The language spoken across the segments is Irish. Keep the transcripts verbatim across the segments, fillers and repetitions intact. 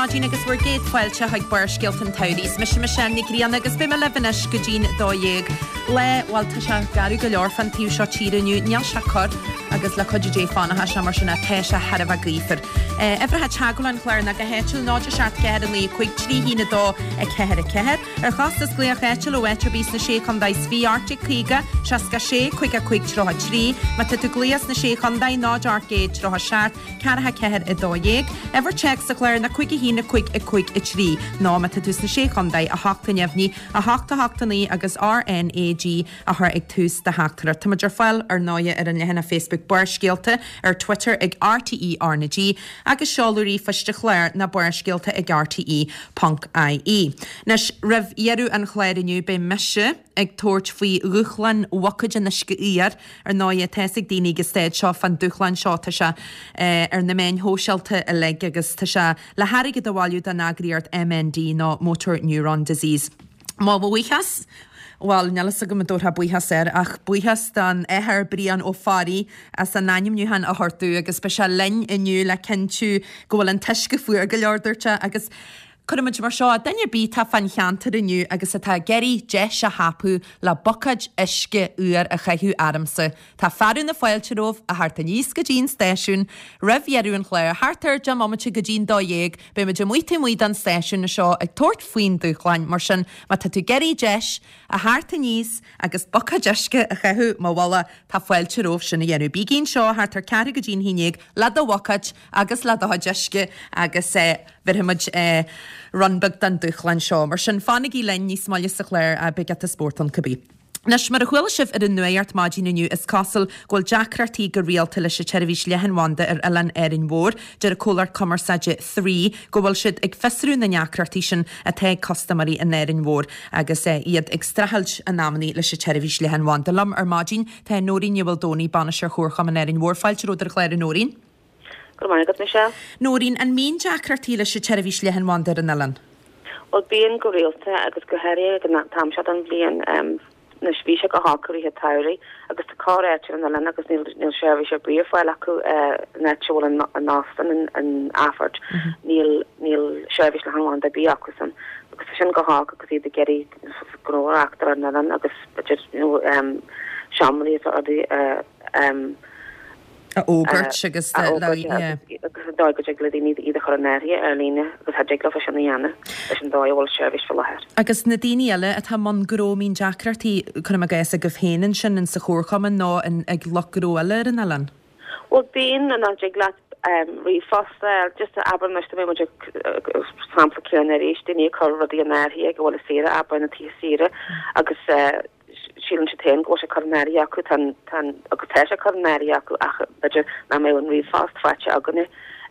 maidin agus bhur gcéad fáilte chuig Barrscéalta an tSamhraidh. Is mise Michelle Nic Grianna agus beidh mé libh anois go dtí'n dó dhéag. Lá bhuel tá sé garbh go leor fan taobh seo tíre inniu, níl sé corr agus le cuidiú Dé fanfaidh sé mar sin tá sé thar a bheith gaofar. Uimhreacha teagmhála an chláir ná go háitiúil náid a seacht ceathair a naoi cúig trí haon a dó a ceathair a ceathair. Ar chostas glaoch áitiúil ó áit ar bith sna sé chontae is fiche Arctic caoga, seasca sé, caoga cúig tríocha trí, má tá tú ag glaoch sna sé chontae náid ocht gcéad tríocha seacht, ceathracha ceathair a dó dhéag. Uimhir téacs sa chlár ná cúig a haon a cúig a cúig a trí nó má tá tú sna sé chontae a hocht a neamhní a hocht a hocht a naoi agus RNAG a chur ag tús do theachtaireacht. Táimid ar fáil ar ndóigh ar an leathanach Facebook Barrscéalta ar Twitter ag RTE RnaG agus seoladh ríomhphoist an chláir ná barrscéalta ag RTE ponc IE. Anois roimh dheireadh an chláir inniu beidh mise ag tabhairt faoi dhúshlán bhuicéid an uisce fhuair ar ndóigh tá fhios ag daoine ag an staid seo fán dúshlán seo tá sé eh, ar na meáin shóisialta uilig agus tá sé le hairgead a bhailiú don eagraíocht MND nó Motor Neuron Disease. Mo bhuíochas Well, níl fhios agam an dtabharfá buíochas air ach buíochas don Athair Brian Ó Fearraigh as an ainmniúchán a thabhairt agus beidh sé linn inniu le cinntiú go bhfuil an t-uisce fuar go leor dúirt sé agus Cuirfimid mar seo duine ar bith atá fán cheantar inniu agus atá ag iarraidh deis a thapú le buicéad uisce úr a chaitheamh ormsa. Tá fearadh na fáilte romhaibh a theacht aníos go dtí an stáisiún, roimh dheireadh an chláir thart ar deich mbomaite go dtí'n dó dhéag, beimid amuigh taobh amuigh den stáisiún seo ag tabhairt faoin dúshlán mar sin má tá tú ag iarraidh deis a theacht aníos agus buicéad uisce a chaitheamh mo mhullach tá fáilte romhaibh sin a dhéanamh. Bígí anseo thart ar ceathrú go dtí'n haon déag le do bhuicéad agus le do chuid uisce agus eh, bhéarfaimid eh, run beag den dúshlán seo. Mar sin fanaigí linn níos moille sa chlár a beidh giota spórt ann cibé. Anois mar a chuala sibh ar an nuacht maidin inniu is cosúil go bhfuil deacrachtaí go rialta leis an tseirbhís leathanbhanda ar oileán Árainn Mhór, deir an comhlacht cumarsáide Three go bhfuil siad ag fiosrú na ndeacrachtaí sin atá ag custaiméirí in Árainn Mhór agus eh, iad ag streachailt in amannaí leis an tseirbhís leathanbhanda. Liom ar maidin tá Nóirín Ní Mhaoldomhnaigh bainisteoir Chomharchumann Árainn Mhór fáilte romhat ar an chlár a Nóirín. Go maith agat Michelle. Nóirín an mbíonn deacrachtaí leis an tseirbhís leathanbhanda ar an oileán. Well bíonn go rialta agus go háirithe ag an t-am seo den bhliain um, na bhí sé go holc i rith an tsamhraidh agus tá corráit an oileán agus níl níl seirbhís ar bith ar fáil acu net bhfuil an an óstán an an Athport níl níl seirbhís leathanbhanda ar bith acu san agus tá sin go holc agus iad ag iarraidh gnó a reáchtáil ar an oileán agus b'fhéidir you know, um, seomraí is rudaí uh, um, A fhógairt agus a fhógairt agus an dóigh go dtig le daoine iad a chur in áirithe ar líne agus cha dtig leofa sin a dhéanamh leis an dóigh a bhfuil seirbhís faoi láthair. Agus na daoine eile atá i mbun gnó mbíonn deacrachtaí cuirim i gcás agaibh féin ansin in sa chomharchumann nó in ag lucht gnó eile ar an oileán. Well bíonn an dtig leat um, ríomhphost just abair anois mé muid sampla céanna arís daoine ag cur rudaí in áirithe go bhfuil a saoire abair na tithe saoire agus uh, síleann siad féin go bhfuil sé curtha in áirithe acu tan tan agus tá sé curtha in áirithe acu ach b'fhéidir nach mbeidh an ríomhphost faighte againne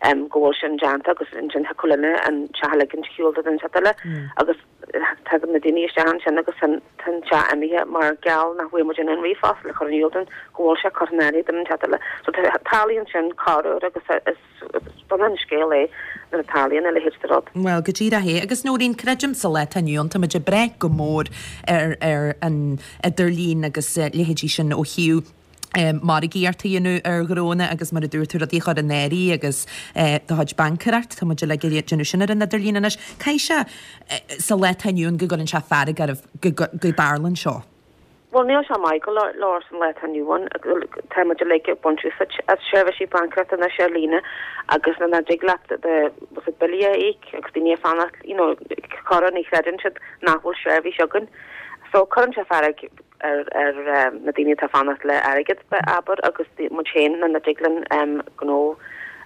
um, go bhfuil sin déanta agus ansin thiocfadh linne an teach a ligean ar shiúl do den eile agus tagann na daoine isteach ansin agus tan tan teach imithe mar gheall nach bhfuil muid in an ríomhphost le chur in iúl dúinn go bhfuil sé curtha in áirithe don teach eile. So tarlaíonn sin corruair agus is dona an scéal é nuair a tarlaíonn a leithéid de rud. Well go díreach é agus Nóirín creidim sa lá atá inniu ann táimid ag brath go mór ar ar an idirlíon agus uh, leithéidí sin ó thaobh um, margaíocht a dhéanamh ar ghnónna agus mar a dúirt tú rudaí a chur in áirithe agus uh, do chuid baincéireacht tá muid uilig ag déanamh sin ar an idirlíon anois. Caithfidh sé uh, sa lá atá inniu ann go gcuireann sé fearg oraibh go go go dtarlaíonn seo. Well níl sé maith go leor san lá atá inniu ann tá muid uilig ag baint úsáid as seirbhísí baincéireachta anois ar líne agus na dtig leat de was billí a íoc agus daoine ag fanacht you know, corruair ní chreideann siad nach bhfuil seirbhís againn. So cuireann sé fearg ar ar um, na daoine atá fanacht le airgead abair agus muid féin na na dtig linn um, gnó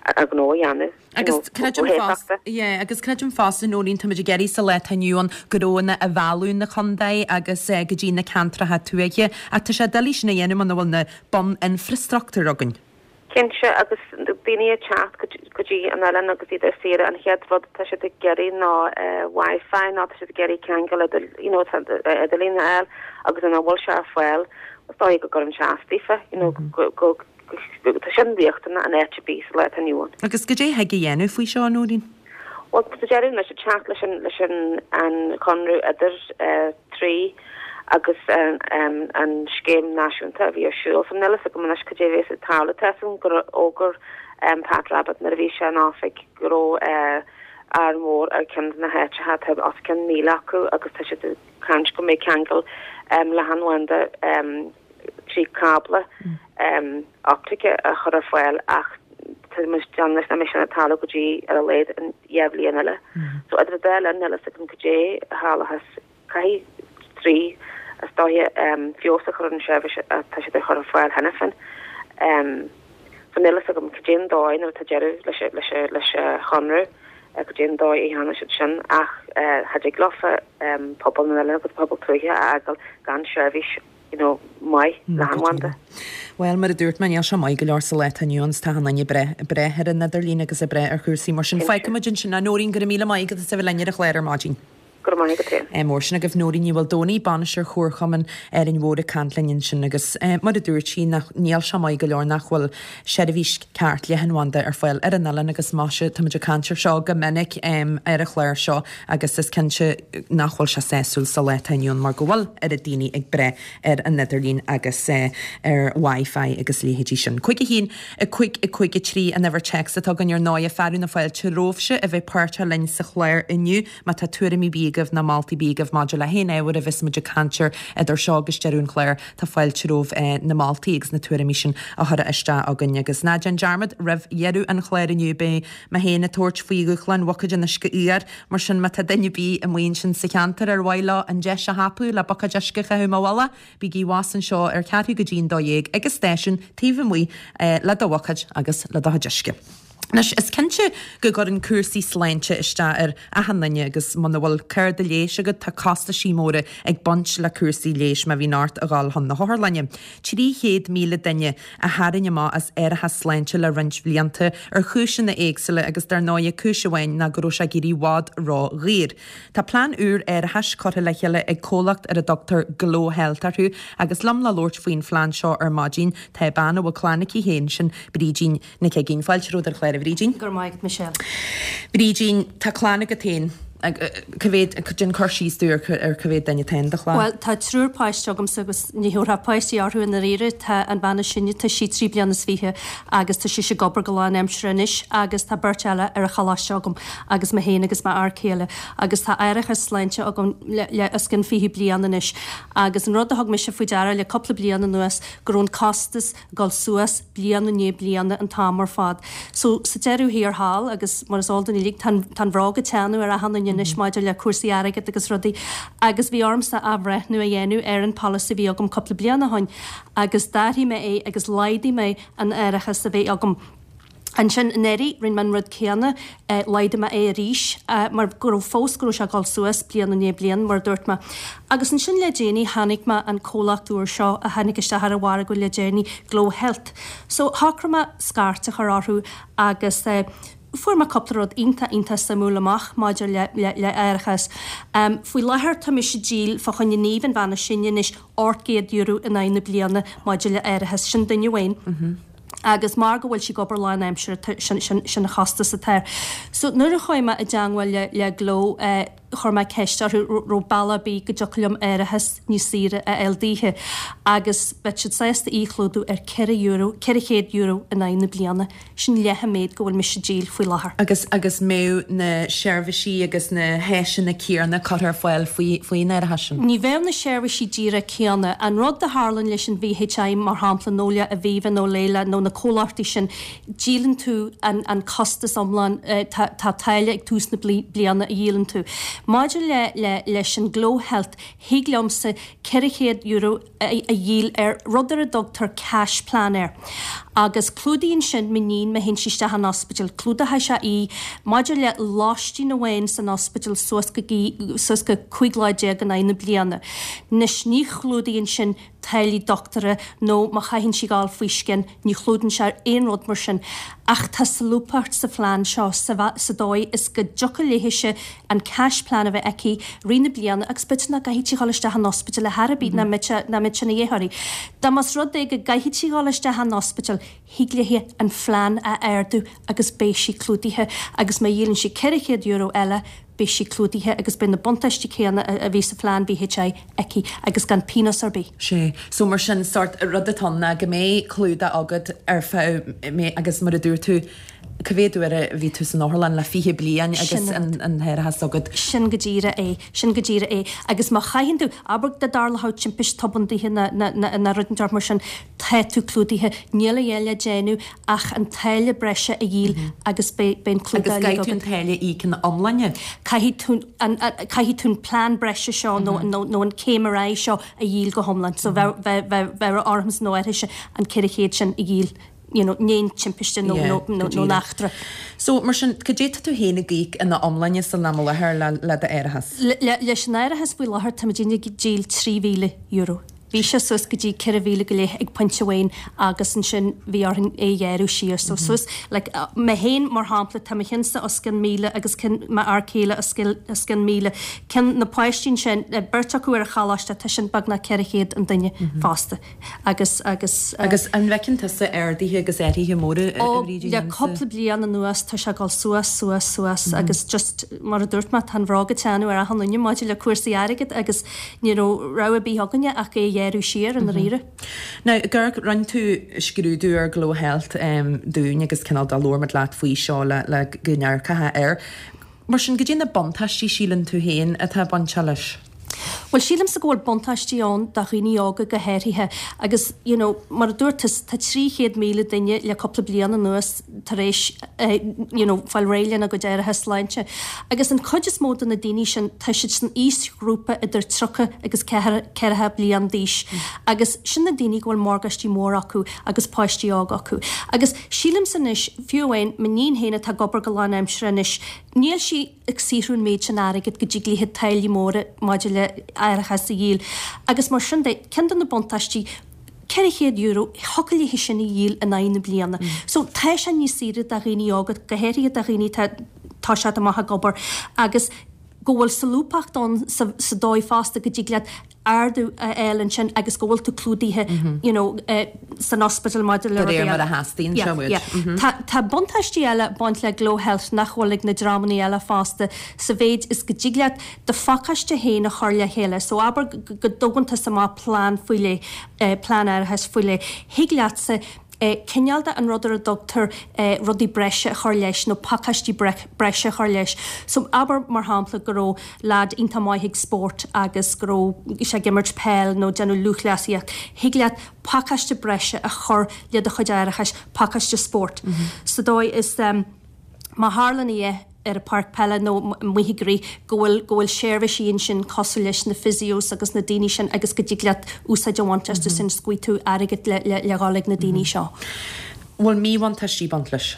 a gnó a dhéanamh. Agus creidim fosta yeah, agus creidim fosta Nóirín táimid ag iarraidh sa lá atá inniu ann gnónna a mhealladh na contae agus uh, go dtí na ceantracha tuaithe ach tá sé doiligh sin a dhéanamh muna bhfuil na bun-infrastruchtúr againn. Cinnte agus daoine ag teacht go dtí an oileán agus iad ar saoire an chéad rud tá siad ag iarraidh ná uh, Wi-Fi ná tá siad ag iarraidh ceangal you know, idirlíon a fháil agus an bhfuil sé ar fáil is dóigh go gcuireann sé as daofa you know, go, go, go, tá sin riachtanach in áit ar bith sa lá atá inniu ann. Agus goidé thig a dhéanamh faoi seo Nóirín? Well tá deireadh leis teacht leis an leis an an conradh idir uh, trí agus an, um, an scéim náisiúnta a bhí ar siúl so níl a fhios agam anois cad é a bheas ag tarlú tá a fhios agam gur fhógair um, Pat Rabbitte nuair a bhí sé in oifig go raibh uh, Árainn Mhór ar ceann de na háiteacha, tá os cionn míle acu agus tá siad ag caint go mbeidh ceangal leathanbhanda trí cábla optaice a chur ar fáil ach tá muid ag déanamh nach mbeidh sin ag tarlú go dtí ar a laghad an dhá bhliain eile. So idir an dá linn níl a fhios agam cad é a tharlóchas. Caithfidh trí is dóiche feabhas a chur ar an seirbhís atá siad ag chur ar fáil cheana féin. So níl a fhios agam cad é an dóigh nuair atá deireadh leis leis leis an chonradh, cad é an dóigh a dhéanfaidh siad sin ach cha dtig leofa pobal na n-oileán agus pobal tuaithe a fhágáil gan seirbhís you know maith leathanbhanda. Bhuel, mar a dúirt mé, níl sé maith go leor sa lá atá inniu ann, tá an duine ag brath, ag brath ar an idirlíon agus ag brath ar chúrsaí mar sin. Fágfaidh muid ansin é. Nóirín, go raibh míle maith agat as a bheith linn ar an chlár ar maidin. Go raibh maith agat féin. Mór sin agaibh Nóirín Ní Mhaoldomhnaigh, Bainisteoir Chomharchumann Árainn Mhór ag caint linn ansin agus mar a dúirt sí nach níl sé maith go leor nach bhfuil seirbhís ceart leathanbhanda ar fáil ar an oileán agus maise táimid ag caint ar seo go minic ar an chlár seo agus is cinnte nach bhfuil sé sásúil sa lá atá inniu ann mar go bhfuil oiread daoine ag brath ar an idirlíon agus ar Wi-Fi agus leithéidí sin. Cúig a haon, a cúig, a cúig a trí an uimhir téacs atá againn ar ndóigh fearadh na fáilte romhaibhse a bheith páirteach linn sa chlár inniu má tá tuairimí ar bith agaibh nó moltaí ar bith agaibh maidir le haon ábhar a bheas muid ag caint air idir seo agus deireadh an chláir, tá fáilte romhaibh na moltaí agus na tuairimí sin a chur isteach againn. Agus ná déan dearmad, roimh dheireadh an chláir inniu beidh mé féin ag tabhairt faoi dhúshlán bhuicéid an uisce fhuair, mar sin má tá duine ar bith amuigh ansin sa cheantar ar mhaith leo an deis a thapú le buicéad uisce a chaitheamh i mo mhullach, bígí abhus anseo ar cheathrú go dtí an dó dhéag ag an stáisiún taobh amuigh le do bhuicéad agus le do chuid uisce. Anois, is cinnte go gcuireann cúrsaí sláinte isteach ar achan duine agus muna bhfuil cárta leighis agat tá costaisí móra ag baint le cúrsaí leighis má bhíonn ort a dhul chun na hotharlainne. Trí chéad míle duine a tharraing amach as árachas sláinte le roinnt bhlianta ar chúiseanna éagsúla agus dar ndóigh cúis amháin ná go raibh sé ag éirí i bhfad ró-dhaor. Tá plean úr árachais curtha le chéile ag comhlacht ar a dtugtar Glow Health orthu agus liom le labhairt faoin phlean seo ar maidin tá bean a bhfuil clann aici féin, sin Brídín Nic Uiginn. Fáilte romhat ar an chlár, a Bhrídín. Go raibh maith agat, Michelle. Brídín, tá clann agat féin. Cá mhéad, déan cur síos dúinn ar cá mhéad duine atá in do chlann? Bhuel, tá triúr páiste agamsa agus ní thabharfá páistí orthu i ndáiríre. Tá an bhean is sine, tá sí trí bliana is fiche agus tá sise ag obair go lánaimseartha anois agus tá beirt eile ar an choláiste agam agus mé féin agus m'fhear céile agus tá árachas sláinte agam le, le os cionn fiche bliain anois agus an rud a thug mise faoi deara le cúpla bliain anuas go raibh an costas ag dul suas bliain i ndiaidh bliana an t-am ar fad. So sa deireadh thiar thall agus mar is eol don uilig tá an, tá an bhróg ag teannadh ar achan duine anois maidir le cúrsaí airgid agus rudaí agus bhí ormsa athbhreithniú a dhéanamh ar an polasaí a bhí agam cúpla bliain ó shin agus d'athraigh mé é agus laghdaigh mé an árachas a bhí agam. Ansin anuraidh rinne mé an rud céanna, laghdaigh mé é arís mar go raibh fós go raibh sé ag dul suas bliain i ndiaidh bliain mar a dúirt mé. Agus ansin le déanaí chonaic mé an comhlacht úr seo a tháinig isteach ar an mhargadh le déanaí, Glow Health. So shocraigh mé scairt a chur orthu agus fuair mé cúpla rud iontach iontach suimiúil amach maidir le le le árachas. Faoi láthair tá mise ag díol fá choinne Niamh an bhean is sine anois ocht gcéad euro in aghaidh na bliana maidir le árachas, sin duine amháin. Agus mar go bhfuil sí ag obair lánaimseartha sin sin sin an chostas atá air. So nuair a chuaigh mé i dteangmháil le le Glow chuir mé ceist orthu raibh bealach ar bith go dtiocfadh liom árachas níos saoire a fháil daoithe agus bheadh siad sásta í a chlúdú ar ceithre euro, ceithre chéad euro in aghaidh na bliana. Sin leath an méid go bhfuil mise ag díol faoi láthair. Agus agus mbeadh na seirbhísí agus na háiseanna céanna curtha ar fáil faoi faoin árachas sin? Ní bheadh na seirbhísí díreach céanna. An rud a tharlann leis an VHI mar shampla nó le Aviva nó Laya nó na comhlachtaí sin, díolann tú an an costas iomlán, tá tá táille ag tús na bliana a dhíolann tú. Maidir le le leis an Glow Health, thig liomsa ceithre chéad euro a dhíol ar rud ar a dtugtar cash plan air. Agus clúdaíonn sin m'iníon má théann sí isteach an ospidéal, clúdóidh sé í maidir le lóistín amháin san ospidéal suas go suas go cúig lá déag in aghaidh na bliana. Anois ní chlúdaíonn sin táillí dochtúra nó má chaitheann sí dul faoi scian, ní chlúdaíonn sé aon rud mar sin. Ach tá solúbthacht sa phlean seo sa sa dóigh is go dtiocfadh léithise an cash plan a bheith aici rith na bliana agus b'fhéidir nach gcaithfidh sí dul isteach an ospidéal ar chor ar bith nach mbeidh nach mbeidh ina dhiaidh uirthi. Dá más rud é go gcaithfidh sí dul isteach an ospidéal, thig léi an phlean a ardú agus beidh sí clúdaithe agus má dhíolann sí ceithre chéad euro eile, beidh sí clúdaithe agus beidh na buntáistí céanna a bhí sa phlean V H I aici agus gan pionós ar bith. Sé, so mar sin sort rud atá ná go mbeidh clúdach agat ar feadh mé agus mar a dúirt tú cá mhéad uair a bhí tú san otharlann le fiche bliain agus an an t-árachas agat. Sin go díreach é, sin go díreach é. Agus má chaitheann tú abair dá dtarlódh timpiste tobann na na na rud mar sin tá tú clúdaithe níl a dhath le déanamh ach an táille breise a dhíol agus beidh an clúdach Agus caithfidh tú an táille a íoc ina iomláine. Caithfidh tú an caithfidh tú an plean breise seo nó nó nó an céim ar aghaidh seo a dhíol go hiomlán, so bheith bheith bheith ormsa nó uirthise an ceithre chéad sin a dhíol you know, ní timpiste nó nó nó nó eachtra. So mar sin cad é tá tú féin ag íoc ina iomláine san am i láthair le le d'árachas. Leis an árachas faoi láthair tá muid ag díol trí mhíle euro. Bhí sé suas go dtí ceithre mhíle go leith ag pointe amháin agus ansin bhí orainn é a ghearradh siar so suas like, mé féin mar shampla tá mo chinnsa os cionn míle agus cinn m'fhear céile os cionn míle. Cinn na páistí sin beirt acu ar an choláiste tá sin beagnach ceithre chéad an duine fosta agus agus Agus an bhfeiceann tusa arduithe agus athruithe móra le cúpla bliain anuas tá sé ag dul suas suas suas agus just mar a dúirt mé tá an bhróg ag teannadh ar achan duine maidir le cúrsaí airgid agus ní raibh rogha ar bith againne ach é ghearradh siar an riire. Now gur rinne tú scrúdú ar Glow Health um, dúinn agus cineál do labhair muid leat faoi seo le, le go ndearcatha air. Mar sin cad é na buntáistí síleann tú féin atá bainte leis. Well sílimse go bhfuil buntáistí ann do dhaoine óga go háirithe agus you know, mar a dúirt tá trí chéad míle duine le cúpla bliain anuas tar éis uh, you know, fáil réidh lena gcuid árachas sláinte. Agus an chuid is mó de na daoine sin tá siad san aoisghrúpa idir tríocha agus ceathracha bliain d'aois. Agus sin na daoine go bhfuil morgáistí mór acu agus páistí óga acu. Agus sílimse anois fiú amháin m'iníon féin atá ag obair go lánaimseartha anois, níl sí ag saothrú an méid sin airgid go dtig léi táillí móra maidir le árachas a dhíol. Agus mar sin de ceann de na buntáistí ceithre chéad euro thiocfadh léi sin a dhíol in aghaidh na bliana. Mm. So tá sé níos saoire do dhaoine óga go háirithe do dhaoine tá sé amach ag obair agus go bhfuil solúbthacht ann sa, sa dóigh fosta go dtig leat ardú a fháil ansin agus go bhfuil tú clúdaithe mm -hmm. you know, uh, san ospidéal maidir le réir mar a theastaíonn yeah, yeah. mm -hmm. Tá, tá buntáistí eile baint le Glow Health nach bhfuil ag na dreamanna eile fosta sa mhéid is go dtig leat do phacáiste féin a chur le chéile, so abair go dtógann tú amach plean faoi leith uh, plean árachais faoi leith. Thig leatsa cineál de an rud ar a dtugtar rudaí breise a chur leis nó pacáistí breise a chur leis. So abair mar shampla go raibh lad iontach maith ag spórt agus go raibh sé ag imirt peil nó déanamh lúthchleasaíocht. Thig leat pacáiste breise a chur le do chuid árachais pacáiste spórt. Mm -hmm. Sa dóigh is um, má tharlaíonn é ar a páirc peile nó amuigh ag rith go bhfuil go bhfuil seirbhísí ansin cosúil leis na physios agus na daoine sin agus go dtig leat úsáid a bhaint astu sin scaoil tú airgead le le le dhul ag na daoine seo. Bhfuil míbhuntáistí baint leis?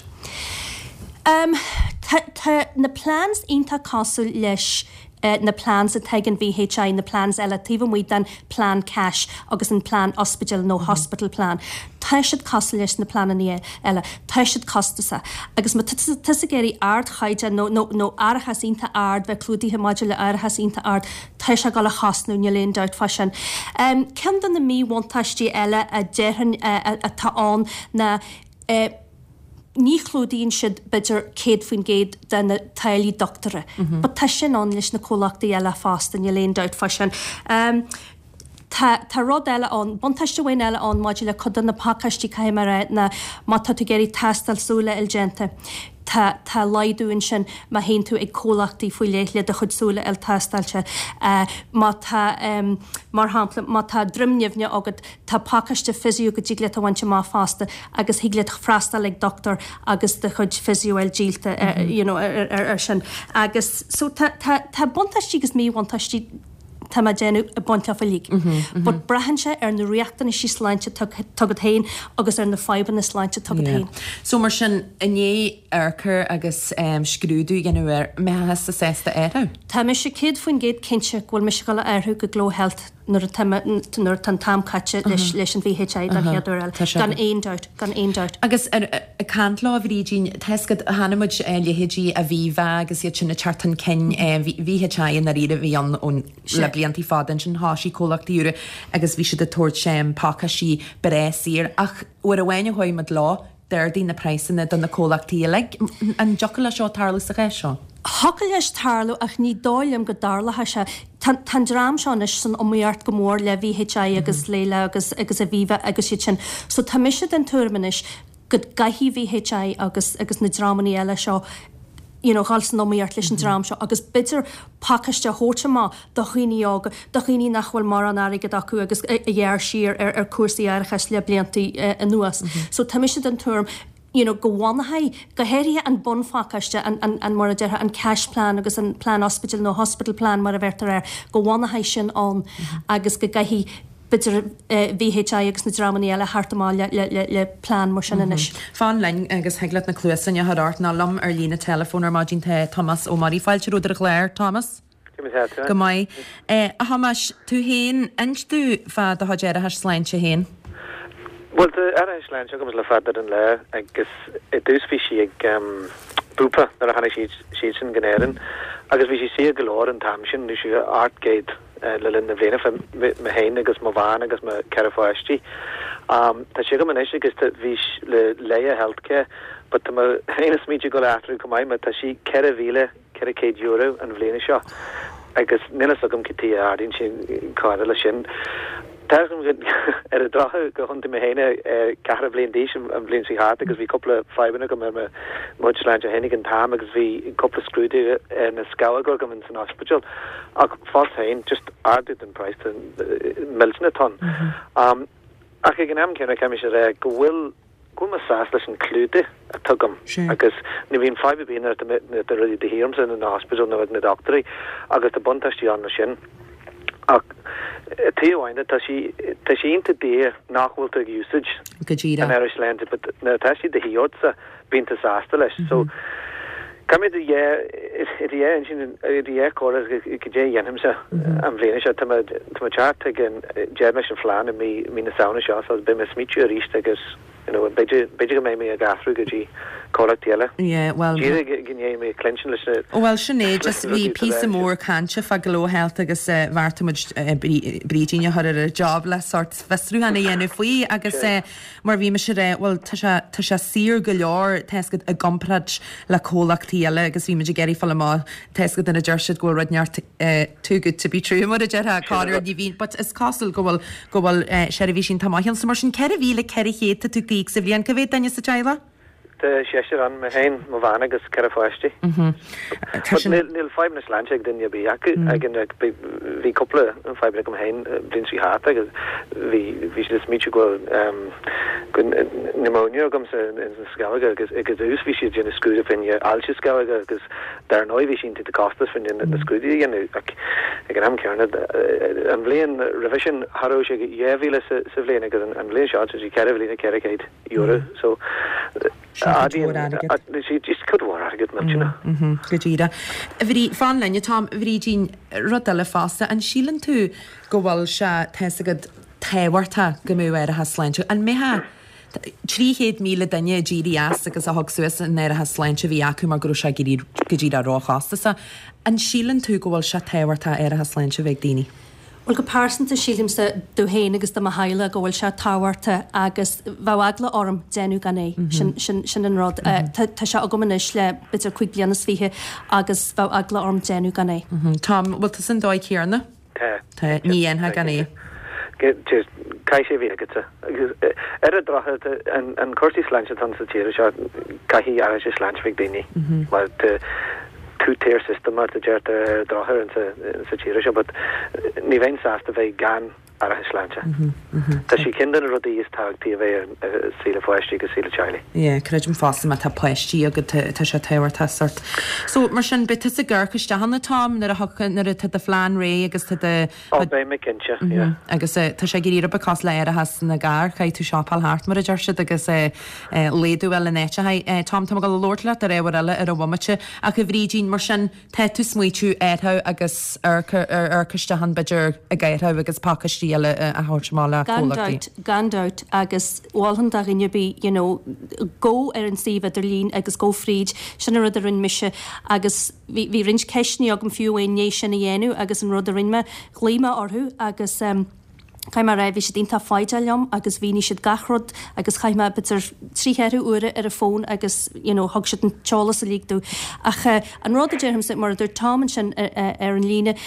Um, tá, tá na plans iontach cosúil leis uh, na plans atá ag an V H I na plans eile taobh amuigh den plan cash agus an plan ospidéal nó mm -hmm. hospital plan. Tá siad cosúil leis na pleananna eile, tá siad costasach. Agus má tá tú ag iarraidh ardchaighdeán nó, nó, nó árachas iontach ard bheith clúdaithe maidir le árachas iontach ard, tá sé ag dul a chosnú níl aon dabht fá sin. Um, Ceann de na míbhuntáistí eile a déarfainn uh, atá ann ná uh, ní chlúdaíonn siad b'fhéidir céad faoin gcéad de na táillí dochtúra. Mm -hmm. But tá sin ann leis na comhlachtaí eile fosta níl aon dabht fá sin. Um, Tá, tá rud eile ann, buntáiste amháin eile ann maidir le cuid de na pacáistí caithfidh mé a rá ná má tá tú ag iarraidh tástáil súile a fháil déanta. Tá, tá laghdú ansin má théann tú ag comhlachtaí faoi leith le do chuid súile a fháil tástáilte. Uh, má tá um, mar shampla má tá droim nimhne agat tá pacáiste physio go dtig leat a bhaint amach fosta agus thig leat freastal ag dochtúir agus do chuid physio a fháil díolta mm -hmm. uh, you know, ar, ar, ar sin. Agus so tá, tá, tá buntáistí agus míbhuntáistí tá má déanú a baint a líg. Mm -hmm, But braitheann sé ar na riachtanaisí sláinte atá agat féin agus ar na fadhbanna sláinte atá agat féin. So mar sin i ndiaidh amharc agus um, scrúdú dhéanamh air mbeifeá sásta athrú? Tá mise céad faoin gcéad cinnte go bhfuil mise ag dul a athrú go Glow Health nuair nuair atá an t-am caite leis leis an V H I don chéad uair eile. Gan aon dabht gan aon dabht. Agus ag caint leo Bhrídín Tescad hanmuid leithéidí Aviva agus iad sin ag teacht chun cinn V H I in ar bhí an ón le bliantaí fada sin thosaigh comhlachtaí úra agus bhí siad ag tabhairt sem pacáistí breise ach uair amháin a chuaigh muid leo. D'ardaigh na praghsanna do na comhlachtaí uilig. An dtiocfadh leis seo tarlú sa chás seo? Thiocfadh leis tarlú ach ní dóigh liom go dtarlóidh sé. Tá an dream seo anois san iomaíocht go mór le VHI agus Laya agus agus Aviva agus iad sin. So tá mise den tuairim anois go gcaithfidh VHI agus agus na dreamanna eile seo you know, dhul san iomaíocht leis an dream seo agus b'fhéidir pacáiste a thabhairt amach do dhaoine óga, do dhaoine nach bhfuil mórán airgead acu agus a ghearr siar ar ar cúrsaí árachais le blianta anuas. So tá mise den tuairim you know, go bhfanfaidh, go háirithe an bunphacáiste, an, an, an mar a déarfá, an cash plan agus an plean ospidéil nó hospital plan mar a bheirtear air, go bhfanfaidh sin ann agus go gcaithfidh b'fhéidir VHI agus na dreamanna eile theacht amach le, le, le, le plean mar sin anois. Fan linn agus thig leat na cluasáin a chur ort nó liom ar líne teileafóin ar maidin tá Tomás Ó Muirí. Fáilte romhat ar an chlár, Thomas. Go maith. A Thomáis, tú féin, inis domh fá do chuid árachais sláinte féin. Bhuel, tá árachas sláinte agam le fada an lá agus i dtús bhí sí ag Bupa nuair a tháinig siad siadsan go hÉirinn agus bhí sí saor go leor an t-am sin, nó sí ocht gcéad le linn na bliana fá mé féin agus mo bhean agus mo ceithre pháistí. Tá sé agam anois agus bhí le Laya Healthcare but tá mé féin ag smaointiú ag dul a athrú chomh maith mar tá sí ceithre mhíle ceithre chéad euro an bhliain seo agus níl fhios agam cad tuige a ardaíonn sé chomh leis sin. Tá ar an drochuair gur thiontaigh mé féin ceathracha bliain d'aois an bhliain seo thart agus bhí cúpla fadhbanna agam ar mo chuid sláinte féin ag an t-am agus bhí cúpla scrúdú ar na scamhóga agam ins an ospidéal ach fós féin just ardú den praghas millteanach atá ann. Ach ag an am céanna caithfidh mise a rá go bhfuil go bhfuil mé sásta leis an clúdach atá agam agus ní bhíonn fadhb ar bith nuair atá rudaí de dhíth ormsa in ospidéal nó ag na dochtúirí agus tá buntáistí ann leis sin. Ach taobh amháin de, tá sí tá sí iontach daor nach bhfuil tú ag úsáid Go díreach. an árachas sláinte but nuair atá sí de dhíth ortsa bíonn tú sásta leis. So caithfidh mé do dhá i do dhá intinn i do dhá chomhairle goidé a dhéanfaimse an bhliain seo. Tá mé tá mé teacht ag an déanfaidh mise an phlean i mí mí na Samhna seo so beidh mé ag smaoitiú arís agus you know b'fhéidir b'fhéidir go mbeidh mé ag athrú go dtí comhlacht eile. Yeah, well Díreach go ndéanfaidh mé cluinstin leis na Ó bhuel sin é, just bhí píosa mór cainte fá Glow Health agus eh, bheartaigh muid eh, Brídín a chur ar an job le sort fiosrúchán a dhéanamh faoi agus eh, mar bhí mise rá, bhuel tá sé tá sé saor go leor tá fhios agat i gcomparáid le comhlachtaí eile agus bhí muid ag iarraidh fáil amach tá fhios agat ina deir siad go bhfuil rud neart eh, too good to be true mar a déarfá Conor ní bhíonn but is cosúil go bhfuil go bhfuil eh, seirbhísí tá maith ann so mar sin ceithre mhíle ceithre chéad tá tú ag íoc sa bhliain cá mhéad duine sa teaghlach? Tá seisear ann mé féin, mo bhean agus ceithre pháistí. Tá But sin níl níl fadhbanna sláinte ag duine ar bith acu ag an bhí bhí cúpla fadhbanna agam féin bliain seo thart agus bhí bhí siad ag smaoitiú go bhfuil um, go pneumonia agam sa sa scamhóga agus ag dtús bhí siad déanamh scrúdú fá choinne ailse scamhóga agus dar ndóigh bhí sin te costas fá choinne na scrúdú a dhéanamh ach ag an am céanna an bhliain roimhe sin cha raibh sé dhá mhíle sa sa bhliain agus an, an bhliain seo tá sé ceithre mhíle ceithre chéad euro so Sin cuid mhór airgead. sí just cuid mhór airgead millteanach. Mhm, go díreach. Bhrí fan linn Tom Bhrídín rud eile fosta an síleann tú go bhfuil sé tá fhios agat tábhachtach go mbeadh árachas sláinte an mbeadh trí chéad míle duine a d'éirigh as agus a thug suas an árachas sláinte a bhí acu mar go raibh sé go go díreach róchostasach. An síleann tú go bhfuil sé tábhachtach árachas sláinte a bheith ag daoine? Well go pearsanta sílimse domh féin agus do mo theaghlach go bhfuil sé tábhachtach agus bheadh eagla orm déanamh gan é sin sin sin an rud. Tá tá sé agam anois le b'fhéidir cúig bliana is fiche agus bheadh eagla orm déanamh gan é. Mhm. Tom, bhfuil tú san dóigh chéanna? Tá. Tá ní dhéanfá gan é. Caithfidh sé bheith agatsa. Agus ar an drochuair an an cúrsaí sláinte atá sa tír seo caithfidh árachas sláinte bheith ag daoine mar tá two-tier system mar a deirtear ar an drochuair in sa sa tír seo, but ní bheinn sásta bheith gan árachas sláinte. Tá sé ceann de na rudaí is tábhachtaí a bheith ar saol pháistí agus saol teaghlaigh. Yeah, creidim fosta má tá páistí agat tá sé tábhachtach sort. So mar sin beidh tusa ag amharc isteach ann Tom nuair a thug nuair atá do phlean réidh agus tá do Ó beidh mé cinnte, yeah. agus uh, tá sé ag éirí cosúil le árachas na gcarr caithfidh tú siopáil thart mar a deir siad agus uh, uh, laghdú in áiteacha. Uh, Tom tá go labhairt leat ar ábhar eile ar an bhomaite ach a Bhrídín mar sin tá tú smaoitiú air agus ar ar isteach b'fhéidir ag aertha agus pacáistí eile a thabhairt amach le Gan comhlachtaí. doubt, gan doubt agus mholfainn do dhuine ar bith, you know, go ar an suíomh idirlín agus go fríd sin an rud a rinne mise agus bhí bhí roinnt ceisteanna agam fiú i ndiaidh sin a dhéanamh agus an rud a rinne mé ghlaoigh mé orthu agus um, Caithfidh mé a rá, bhí siad iontach foighdeach liom agus mhínigh siad gach rud agus chaith mé b'fhéidir trí cheithre huaire ar an bhfón agus you know thug siad an t-eolas uilig domh. Ach an rud a déarfaimse, mar a dúirt Tom ansin ar an líne,